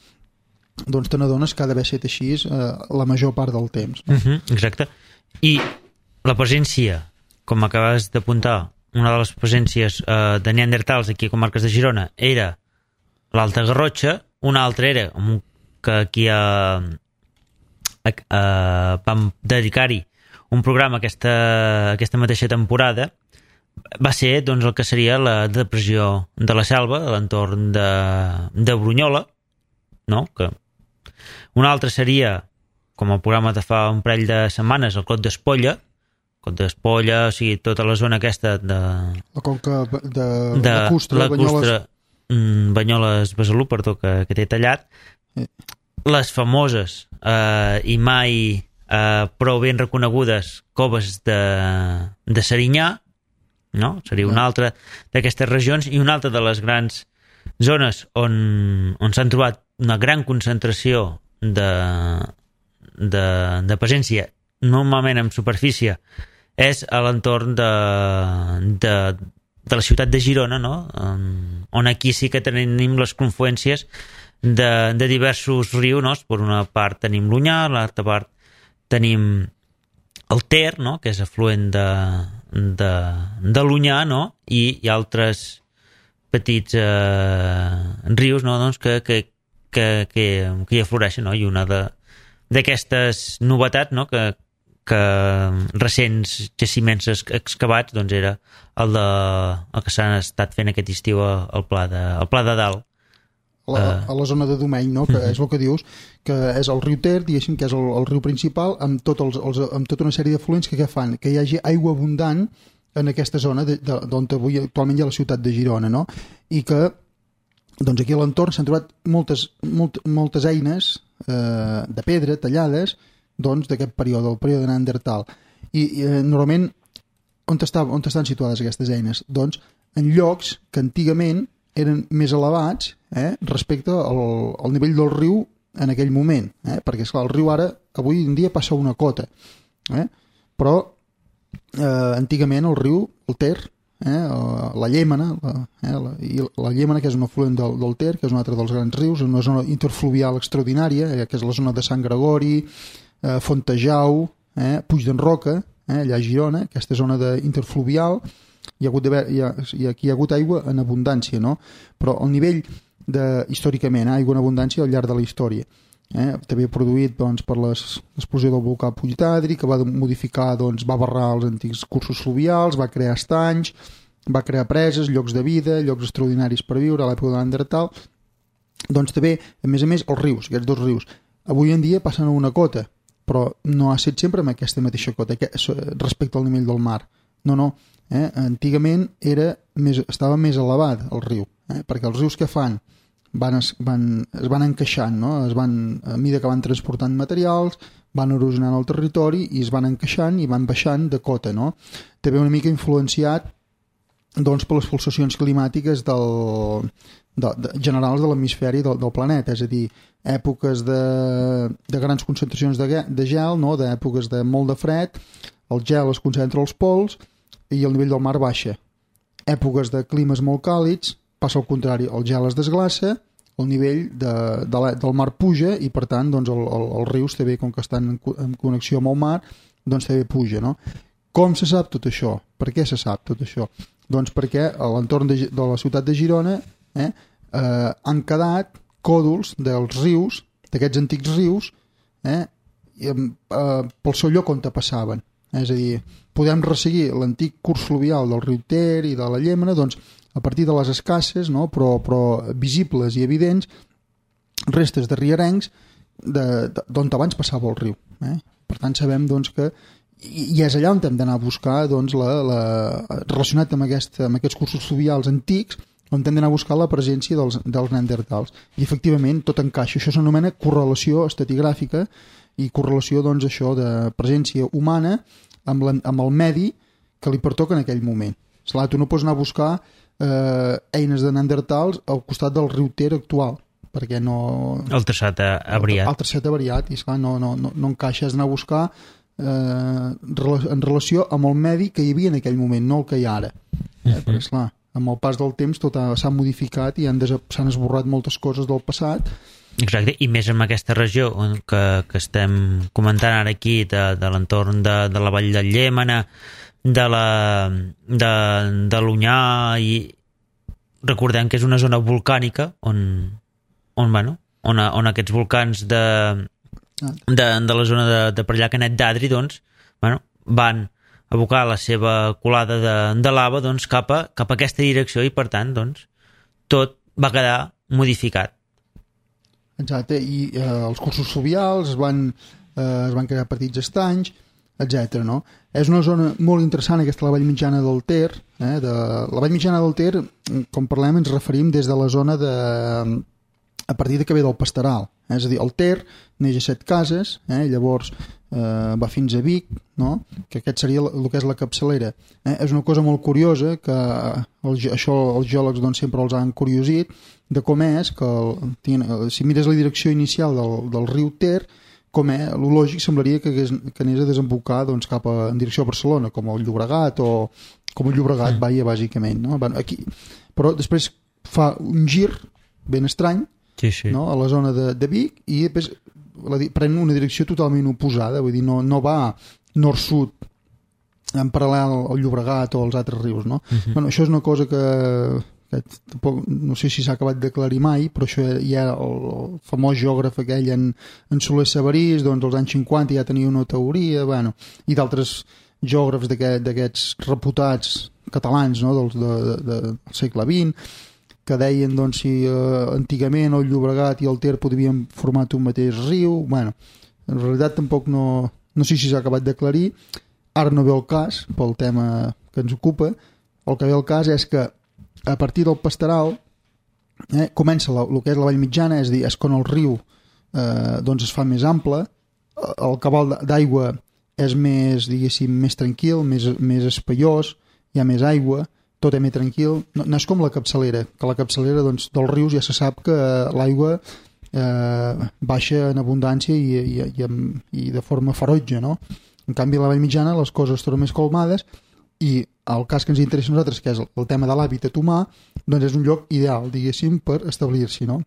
doncs te n'adones que ha d'haver estat així eh, la major part del temps. No?
Uh-huh, exacte. I la presència, com acabes d'apuntar, una de les presències eh, de neandertals aquí a Comarques de Girona era l'Alta Garrotxa, una altra era que aquí a, a, a, vam dedicar-hi un programa aquesta, aquesta mateixa temporada, va ser doncs, el que seria la depressió de la Selva a l'entorn de, de Brunyola, no? Que un altre seria, com el programa de fa un parell de setmanes, el Clot d'Espolla, Clot d'Espolla, o sigui, tota la zona aquesta de...
La conca de, de,
de
lacustre,
la Banyoles... Banyoles Besalú, perdó, que, que té tallat. Sí. Les famoses eh, i mai eh, prou ben reconegudes coves de, de Serinyà, no? Seria una altra d'aquestes regions, i una altra de les grans zones on, on s'han trobat una gran concentració de, de, de presència, normalment en superfície, és a l'entorn de, de, de la ciutat de Girona, no? On aquí sí que tenim les confluències de, de diversos rius, no? Per una part tenim l'Onyar, a l'altra part tenim el Ter, no? Que és afluent de, de, de l'Onyar, no? I hi ha altres petits eh, rius, no? Doncs que, que, que, que, que hi afloreixen, no? I una d'aquestes novetats, no? que que recents jaciments excavats doncs era el, de, el que s'han estat fent aquest estiu al Pla de, al Pla de Dalt.
La, uh, a la zona de Domeny, no? Que uh-huh. és el que dius, que és el riu Ter, diguéssim, que és el, el riu principal, amb, tot els, els, amb tota una sèrie d'afluents que què fan? Que hi hagi aigua abundant en aquesta zona d'on avui actualment hi ha la ciutat de Girona, no? I que doncs aquí a l'entorn s'han trobat moltes, molt, moltes eines eh, de pedra tallades doncs d'aquest període, el període neandertal. I, i eh, normalment on, està, on estan situades aquestes eines? Doncs en llocs que antigament eren més elevats eh, respecte al, al nivell del riu en aquell moment, eh? Perquè esclar, el riu ara avui en dia passa una cota, eh? Però eh, antigament el riu, el Ter, eh, la Llémena, la, eh, la, i la Llémena, que és un afluent del, del Ter, que és un altre dels grans rius, una zona interfluvial extraordinària, eh, que és la zona de Sant Gregori, eh, Fontejau, eh, Puig d'en Roca, eh, allà a Girona, aquesta zona de interfluvial, hi ha hagut d'haver, hi ha, hi ha, aquí hi ha hagut aigua en abundància, no? Però el nivell de, històricament, eh, aigua en abundància al llarg de la història, eh, també produït doncs, per l'explosió del volcà Puig d'Adri, que va modificar, doncs, va barrar els antics cursos fluvials, va crear estanys, va crear preses, llocs de vida, llocs extraordinaris per viure a l'època de Neandertal. Doncs també, a més a més, els rius, aquests dos rius, avui en dia passen a una cota, però no ha estat sempre amb aquesta mateixa cota respecte al nivell del mar. No, no. Eh? Antigament era més, estava més elevat el riu, eh? Perquè els rius que fan van, es, van, es van encaixant, no? Es van, a mesura que van transportant materials, van erosionant el territori i es van encaixant i van baixant de cota, no? També una mica influenciat doncs, per les pulsacions climàtiques del, de, de, generals de l'hemisferi del, del planeta, és a dir, èpoques de, de grans concentracions de, de gel, no? D'èpoques de molt de fred, el gel es concentra als pols i el nivell del mar baixa. Èpoques de climes molt càlids, passa al contrari, el gel es desglaça, el nivell de, de la, del mar puja i per tant doncs, el, el, els rius també, com que estan en, en connexió amb el mar, doncs també puja, no? Com se sap tot això? Per què se sap tot això? Doncs perquè a l'entorn de, de la ciutat de Girona eh, eh, han quedat còdols dels rius, d'aquests antics rius, eh, i, eh, pel seu lloc on te passaven. És a dir, podem resseguir l'antic curs fluvial del riu Ter i de la Llémena, doncs, a partir de les escasses, no? però, però visibles i evidents, restes de rierencs d'on abans passava el riu. Eh? Per tant, sabem doncs, que i, i és allà on hem d'anar a buscar doncs, la, la, relacionat amb, aquest, amb aquests cursos fluvials antics, on hem d'anar a buscar la presència dels, dels neandertals. I efectivament tot encaixa. Això s'anomena correlació estratigràfica i correlació doncs, això de presència humana amb, la, amb el medi que li pertoca en aquell moment. Esclar, tu no pots anar a buscar eh, eines de neandertals al costat del riu Ter actual, perquè no...
El traçat ha variat. El,
el traçat ha variat i esclar, no, no, no, no encaixa, has d'anar a buscar eh, en relació amb el medi que hi havia en aquell moment, no el que hi ha ara. Eh? Uh-huh. Perquè esclar, amb el pas del temps tot s'ha modificat i s'han esborrat moltes coses del passat.
Exacte, i més en aquesta regió que, que estem comentant ara aquí, de, de l'entorn de, de la vall del Llémena, de la de, de l'Onyà, i recordem que és una zona volcànica on, on, bueno, on, on aquests volcans de, de, de la zona de, de per allà Canet d'Adri doncs, bueno, van abocar la seva colada de, de lava doncs, cap, a, cap a aquesta direcció i per tant doncs, tot va quedar modificat.
Exacte, i eh, els cursos fluvials es van, eh, es van crear petits estanys, etcètera. No? És una zona molt interessant aquesta, la vall mitjana del Ter. Eh, de, la vall mitjana del Ter, com parlem, ens referim des de la zona de... a partir de que ve del Pasteral. Eh? És a dir, el Ter neix a Set Cases, eh? Llavors eh, va fins a Vic, no? Que aquest seria el que és la capçalera. Eh? És una cosa molt curiosa que el, això els geòlegs doncs, sempre els han curiosit, de com és que el, si mires la direcció inicial del, del riu Ter, com és, el lògic semblaria que, hagués, que anés a desembocar doncs, cap a, en direcció a Barcelona, com el Llobregat o com el Llobregat vaia bàsicament, no? Bueno, aquí, però després fa un gir ben estrany,
sí, sí.
No? A la zona de, de Vic i després la, pren una direcció totalment oposada, vull dir, no, no va nord-sud en paral·lel al Llobregat o als altres rius, no? Uh-huh. Bueno, això és una cosa que tampoc, no sé si s'ha acabat d'aclarir mai, però això ja el, el famós geògraf aquell en, en Soler Sabarís, doncs als anys cinquanta ja tenia una teoria, bueno, i d'altres geògrafs d'aquests reputats catalans, no, dels, de, de, de, del segle vint, que deien doncs, si eh, antigament el Llobregat i el Ter podrien formar un mateix riu. Bueno, en realitat tampoc no, no sé si s'ha acabat d'aclarir, ara no ve el cas pel tema que ens ocupa. El que ve el cas és que a partir del Pasteral eh, comença la, el que és la vall mitjana, és a dir, és quan el riu eh, doncs es fa més ample, el cabal d'aigua és més, diguéssim, més tranquil, més, més espaiós, hi ha més aigua, tot és més tranquil, no, no és com la capçalera, que la capçalera doncs, dels rius ja se sap que l'aigua eh, baixa en abundància i, i, i, i de forma ferotge, no? En canvi a la vall mitjana les coses es tornen més calmades i el cas que ens interessa a nosaltres, que és el tema de l'hàbitat humà, doncs és un lloc ideal, diguéssim, per establir-s'hi, no?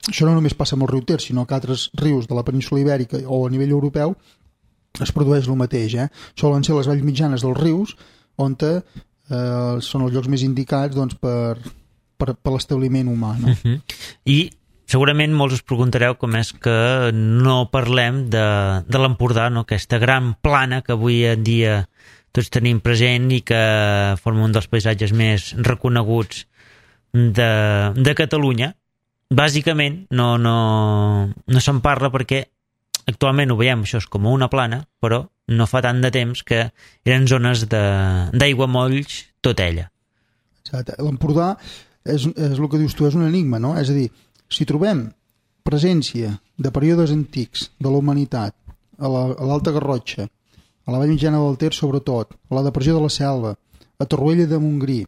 Això no només passa amb el riu Ter, sinó que altres rius de la península Ibèrica o a nivell europeu es produeix el mateix, eh? Solen ser les valls mitjanes dels rius on eh, eh, són els llocs més indicats doncs, per, per, per l'establiment humà. No?
Uh-huh. I segurament molts us preguntareu com és que no parlem de, de l'Empordà, no? Aquesta gran plana que avui en dia tots tenim present i que forma un dels paisatges més reconeguts de, de Catalunya. Bàsicament no, no, no se'n parla perquè actualment ho veiem, això és com una plana, però no fa tant de temps que eren zones d'aiguamolls tot ella.
Exacte. L'Empordà és, és el que dius tu, és un enigma, no? És a dir, si trobem presència de períodes antics de la humanitat a l'Alta la, Garrotxa, a la Vall Mitjana del Ter sobretot, a la depressió de la Selva, a Torroella de Montgrí,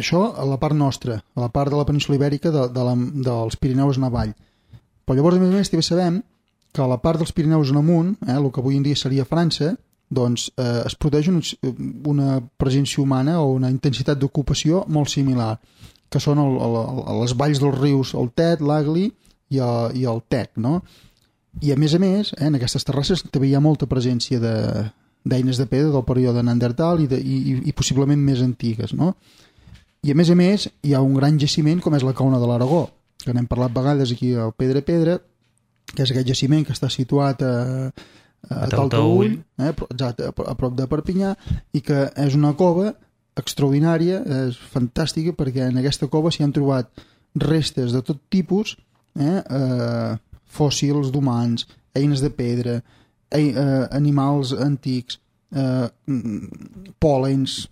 això a la part nostra, a la part de la península Ibèrica de, de la, dels Pirineus en avall. Però llavors, a més a més, també sabem que a la part dels Pirineus en amunt, eh, el que avui en dia seria França, doncs eh, es produeix un, una presència humana o una intensitat d'ocupació molt similar, que són el, el, el, les valls dels rius, el Tet, l'Agli i, el, i el Tec, no? I a més a més, eh, en aquestes terrasses també hi ha molta presència d'eines de, de pedra del període Neandertal i, de, i, i possiblement més antigues, no? I a més a més hi ha un gran jaciment com és la Cauna de l'Aragó, que n'hem parlat vegades aquí al Pedra Pedra, que és aquest jaciment que està situat a, a, a Taltaüll, eh, exacte, a, a prop de Perpinyà, i que és una cova extraordinària, és fantàstica, perquè en aquesta cova s'hi han trobat restes de tot tipus, eh, eh, fòssils d'humans, eines de pedra, eh, eh, animals antics, eh, pòlens,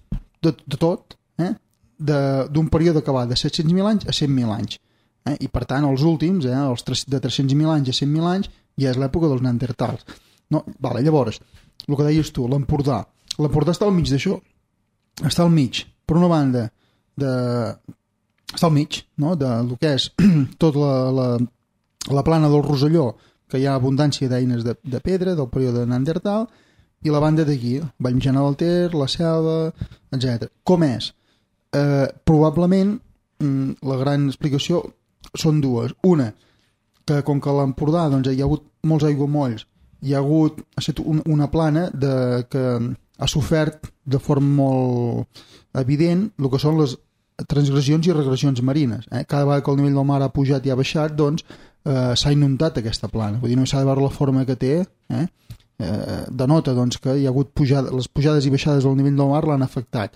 de, de tot, eh, d'un període que va de set-cents mil anys a cent mil anys. Eh, I per tant, els últims, eh, els tres, de tres-cents mil anys a cent mil anys, ja és l'època dels neandertals. No? Vale, llavors, el que deies tu, l'Empordà. L'Empordà està al mig d'això. Està al mig, per una banda, de... està al mig, no? De lo que és tota la, la, la plana del Rosselló, que hi ha abundància d'eines de, de pedra del període Neandertal, i la banda d'aquí, Vall Mitjana del Ter, la Selva, etcètera. Com és? Eh, probablement, la gran explicació són dues. Una, que com que a l'Empordà doncs, hi ha hagut molts aiguamolls, hi ha hagut ha estat una plana de, que ha sofert de forma molt evident el que són les transgressions i regressions marines. Eh? Cada vegada que el nivell del mar ha pujat i ha baixat, doncs eh, s'ha inundat aquesta plana. Vull dir, no s'ha de veure la forma que té, eh? Eh, denota doncs, que hi ha hagut pujada, les pujades i baixades del nivell del mar l'han afectat.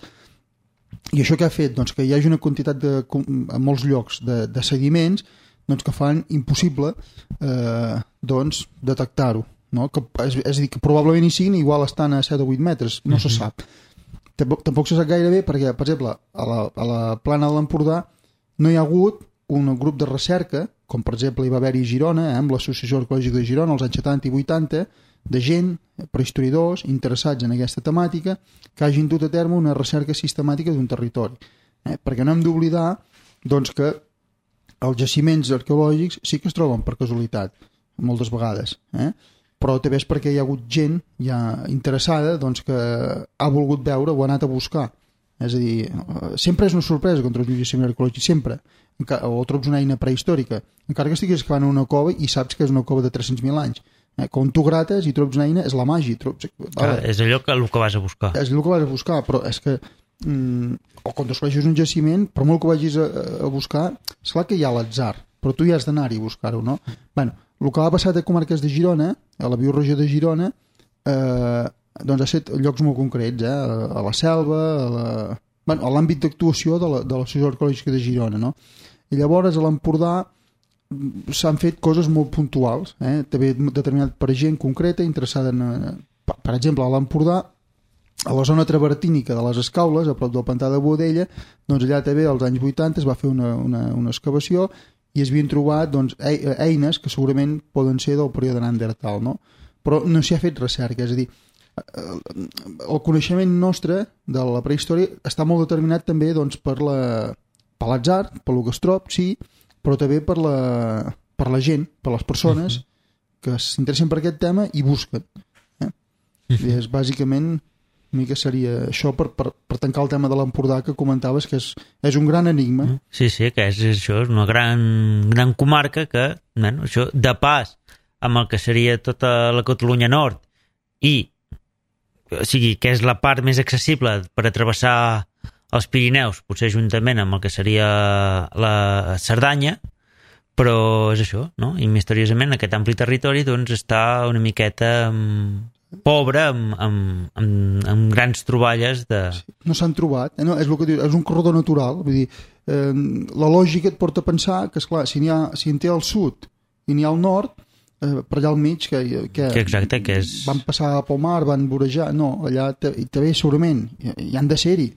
I això què ha fet? Doncs que hi hagi una quantitat de, a molts llocs de, de sediments doncs, que fan impossible eh, doncs, detectar-ho. No? Que, és, és a dir, que probablement hi siguin, igual estan a set o vuit metres, no uh-huh. se sap. Tampoc, tampoc se sap gaire bé perquè, per exemple, a la, a la plana de l'Empordà no hi ha hagut un grup de recerca, com per exemple hi va haver-hi a Girona, eh, amb l'Associació Arqueològica de Girona, als anys setanta i vuitanta, de gent, prehistoriadors, interessats en aquesta temàtica, que hagin dut a terme una recerca sistemàtica d'un territori. Eh? Perquè no hem d'oblidar doncs, que els jaciments arqueològics sí que es troben per casualitat, moltes vegades, eh? Però també és perquè hi ha hagut gent ja interessada doncs, que ha volgut veure o ha anat a buscar. És a dir, sempre és una sorpresa quan trobes un jaciment arqueològic, sempre. O trobes una eina prehistòrica, encara que estiguis excavant en una cova i saps que és una cova de tres-cents mil anys. Eh? Quan tu grates i trobes una eina, és la màgia. Trobes...
Clar, és allò que, el que vas a buscar.
És allò que vas a buscar, però és que... Mm, o quan descobreixes un jaciment, per molt que vagis a, a buscar, és clar que hi ha l'atzar, però tu ja has d'anar-hi a buscar-ho, no? Bueno, el que ha passat a comarques de Girona, a la bioregió de Girona, eh, doncs ha estat llocs molt concrets, eh? A la Selva, a la... bueno, a l'àmbit d'actuació de l'Associació Arqueològica de Girona, no? I llavors a l'Empordà s'han fet coses molt puntuals, eh? També determinat per gent concreta interessada en... Per, per exemple, a l'Empordà, a la zona travertínica de les Escaules, a prop del pantà de Boadella, doncs allà també als anys vuitanta es va fer una, una, una excavació i es havien trobat doncs, eines que segurament poden ser del període Neandertal, no? Però no s'hi ha fet recerca, és a dir, el coneixement nostre de la prehistòria està molt determinat també doncs, per la, per l'atzar, per lo que es trob, sí, però també per la, per la gent, per les persones que s'interessen per aquest tema i busquen. Eh? I és bàsicament una mica seria això per, per, per tancar el tema de l'Empordà que comentaves, que és, és un gran enigma.
Sí, sí, que és, això és una gran, gran comarca que, bueno, això de pas amb el que seria tota la Catalunya Nord i o sigui, que és la part més accessible per a travessar els Pirineus, potser juntament amb el que seria la Cerdanya, però és això, no? I misteriosament aquest ampli territori doncs està una miqueta um, pobre, amb, amb, amb, amb grans troballes de...
Sí, no s'han trobat, eh? No, és, el que diu, és un corredor natural, vull dir, eh, la lògica et porta a pensar que, esclar, si n'hi ha, si en té al sud i n'hi ha al nord, eh, per allà al mig, que, que,
que, exacte, que és...
van passar pel mar, van vorejar, no, allà també segurament, hi, hi han de ser-hi.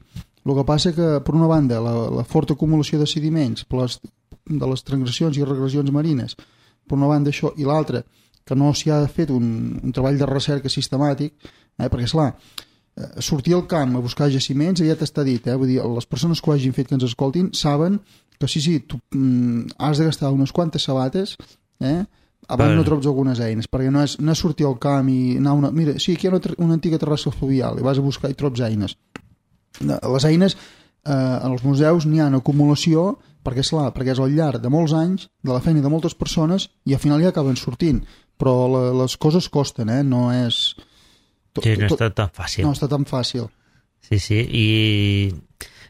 El que passa que, per una banda, la, la forta acumulació de sediments per les, de les transgressions i regressions marines, per una banda això, i l'altra, que no s'hi ha fet un, un treball de recerca sistemàtic, eh, perquè, esclar, eh, sortir al camp a buscar jaciments ja t'està dit, eh, vull dir, les persones que ho hagin fet, que ens escoltin, saben que sí, sí, tu mm, has de gastar unes quantes sabates, eh, abans bueno. no trobes algunes eines, perquè no és, no és sortir al camp i anar una... Mira, sí, aquí hi ha una, una antiga terrassa fluvial, i vas a buscar i trobes eines. Les eines eh, en els museus n'hi ha en acumulació perquè és, clar, perquè és al llarg de molts anys de la feina de moltes persones i al final ja acaben sortint, però la, les coses costen, eh? No és
tot, sí, no està tan fàcil
no està tan fàcil
sí, sí, i,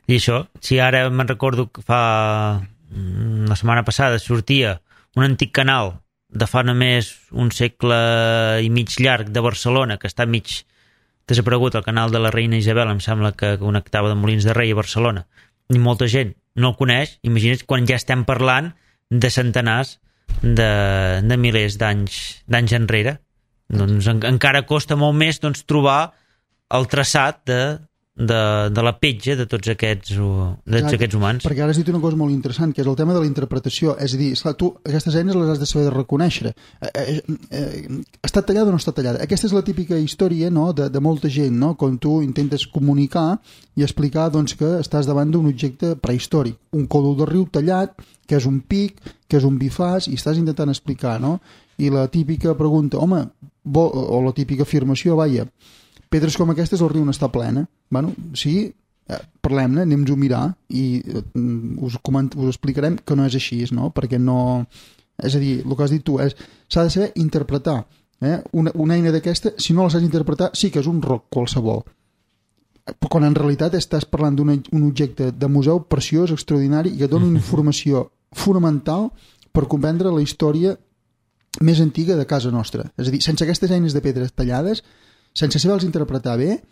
i això, si ara me'n recordo que fa la setmana passada sortia un antic canal de fa només un segle i mig llarg de Barcelona, que està mig desaparegut, el canal de la Reina Isabel, em sembla que connectava de Molins de Rei a Barcelona, i molta gent no el coneix. Imagina't quan ja estem parlant de centenars de, de milers d'anys d'anys enrere. Doncs en, encara costa molt més doncs, trobar el traçat de, de, de la petja de tots aquests, de tots aquests humans.
Perquè ara has dit una cosa molt interessant, que és el tema de la interpretació. És a dir, esclar, tu aquestes eines les has de saber de reconèixer. Eh, eh, eh, està tallada o no està tallada? Aquesta és la típica història, no?, de, de molta gent, no?, quan tu intentes comunicar i explicar doncs, que estàs davant d'un objecte prehistòric. Un còdol de riu tallat, que és un pic, que és un bifàs, i estàs intentant explicar, no? I la típica pregunta, home, vol, o la típica afirmació, vaja, pedres com aquestes el riu n'està plena. Bueno, sí, eh, parlem-ne, anem-nos a mirar i eh, us, coment, us explicarem que no és així, no? Perquè no... És a dir, el que has dit tu és s'ha de saber interpretar. Eh? Una, una eina d'aquesta, si no la saps interpretar, sí que és un roc qualsevol. Però quan en realitat estàs parlant d'un objecte de museu preciós, extraordinari, i que dona una informació fonamental per comprendre la història més antiga de casa nostra. És a dir, sense aquestes eines de pedres tallades, sense saber-los interpretar bé,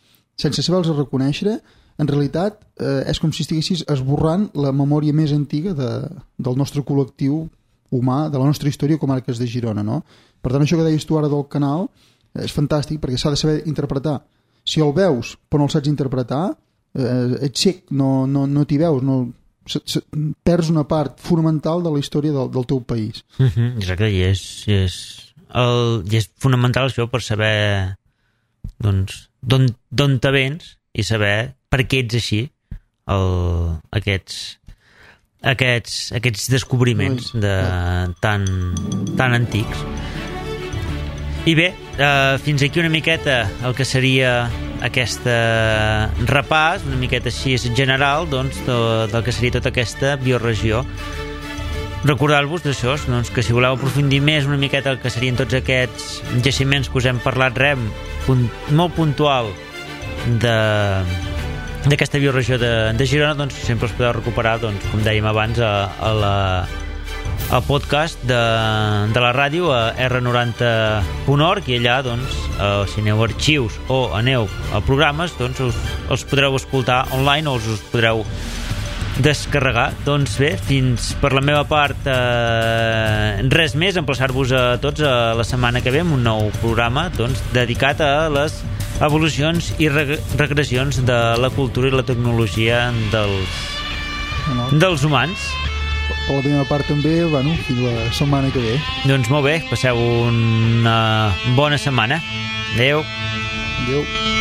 sense saber-los reconèixer, en realitat eh, és com si estiguessis esborrant la memòria més antiga de, del nostre col·lectiu humà, de la nostra història comarques de Girona, no? Per tant, això que deies tu ara del canal és fantàstic perquè s'ha de saber interpretar. Si el veus però no el saps interpretar, eh, ets cec, no, no, no t'hi veus, no, se, se, perds una part fonamental de la història del, del teu país.
Mm-hmm, exacte, i és, i és, el, i és fonamental això per saber doncs d'on te vens i saber per què ets així, el, aquests, aquests, aquests descobriments de, tan, tan antics. I bé, eh, fins aquí una miqueta el que seria aquesta repàs, una miqueta així general doncs, de, del que seria tota aquesta bioregió. Recordar-vos d'això, doncs, que si voleu aprofundir més una miqueta el que serien tots aquests jaciments que us hem parlat, rem, punt, molt puntual d'aquesta bioregió de, de Girona, doncs sempre els podeu recuperar, doncs, com dèiem abans, a, a la, al podcast de, de la ràdio a erre noranta punt org, i allà, doncs, eh, si aneu a arxius o aneu a programes, doncs us, els podreu escoltar online o us, us podreu descarregar. Doncs bé, fins per la meva part eh, res més, emplaçar-vos a tots a la setmana que ve amb un nou programa doncs, dedicat a les evolucions i reg regressions de la cultura i la tecnologia dels, no. dels humans.
Per la meva part també, bueno, fins la setmana que ve.
Doncs molt bé, passeu una bona setmana. Adéu.
Adéu.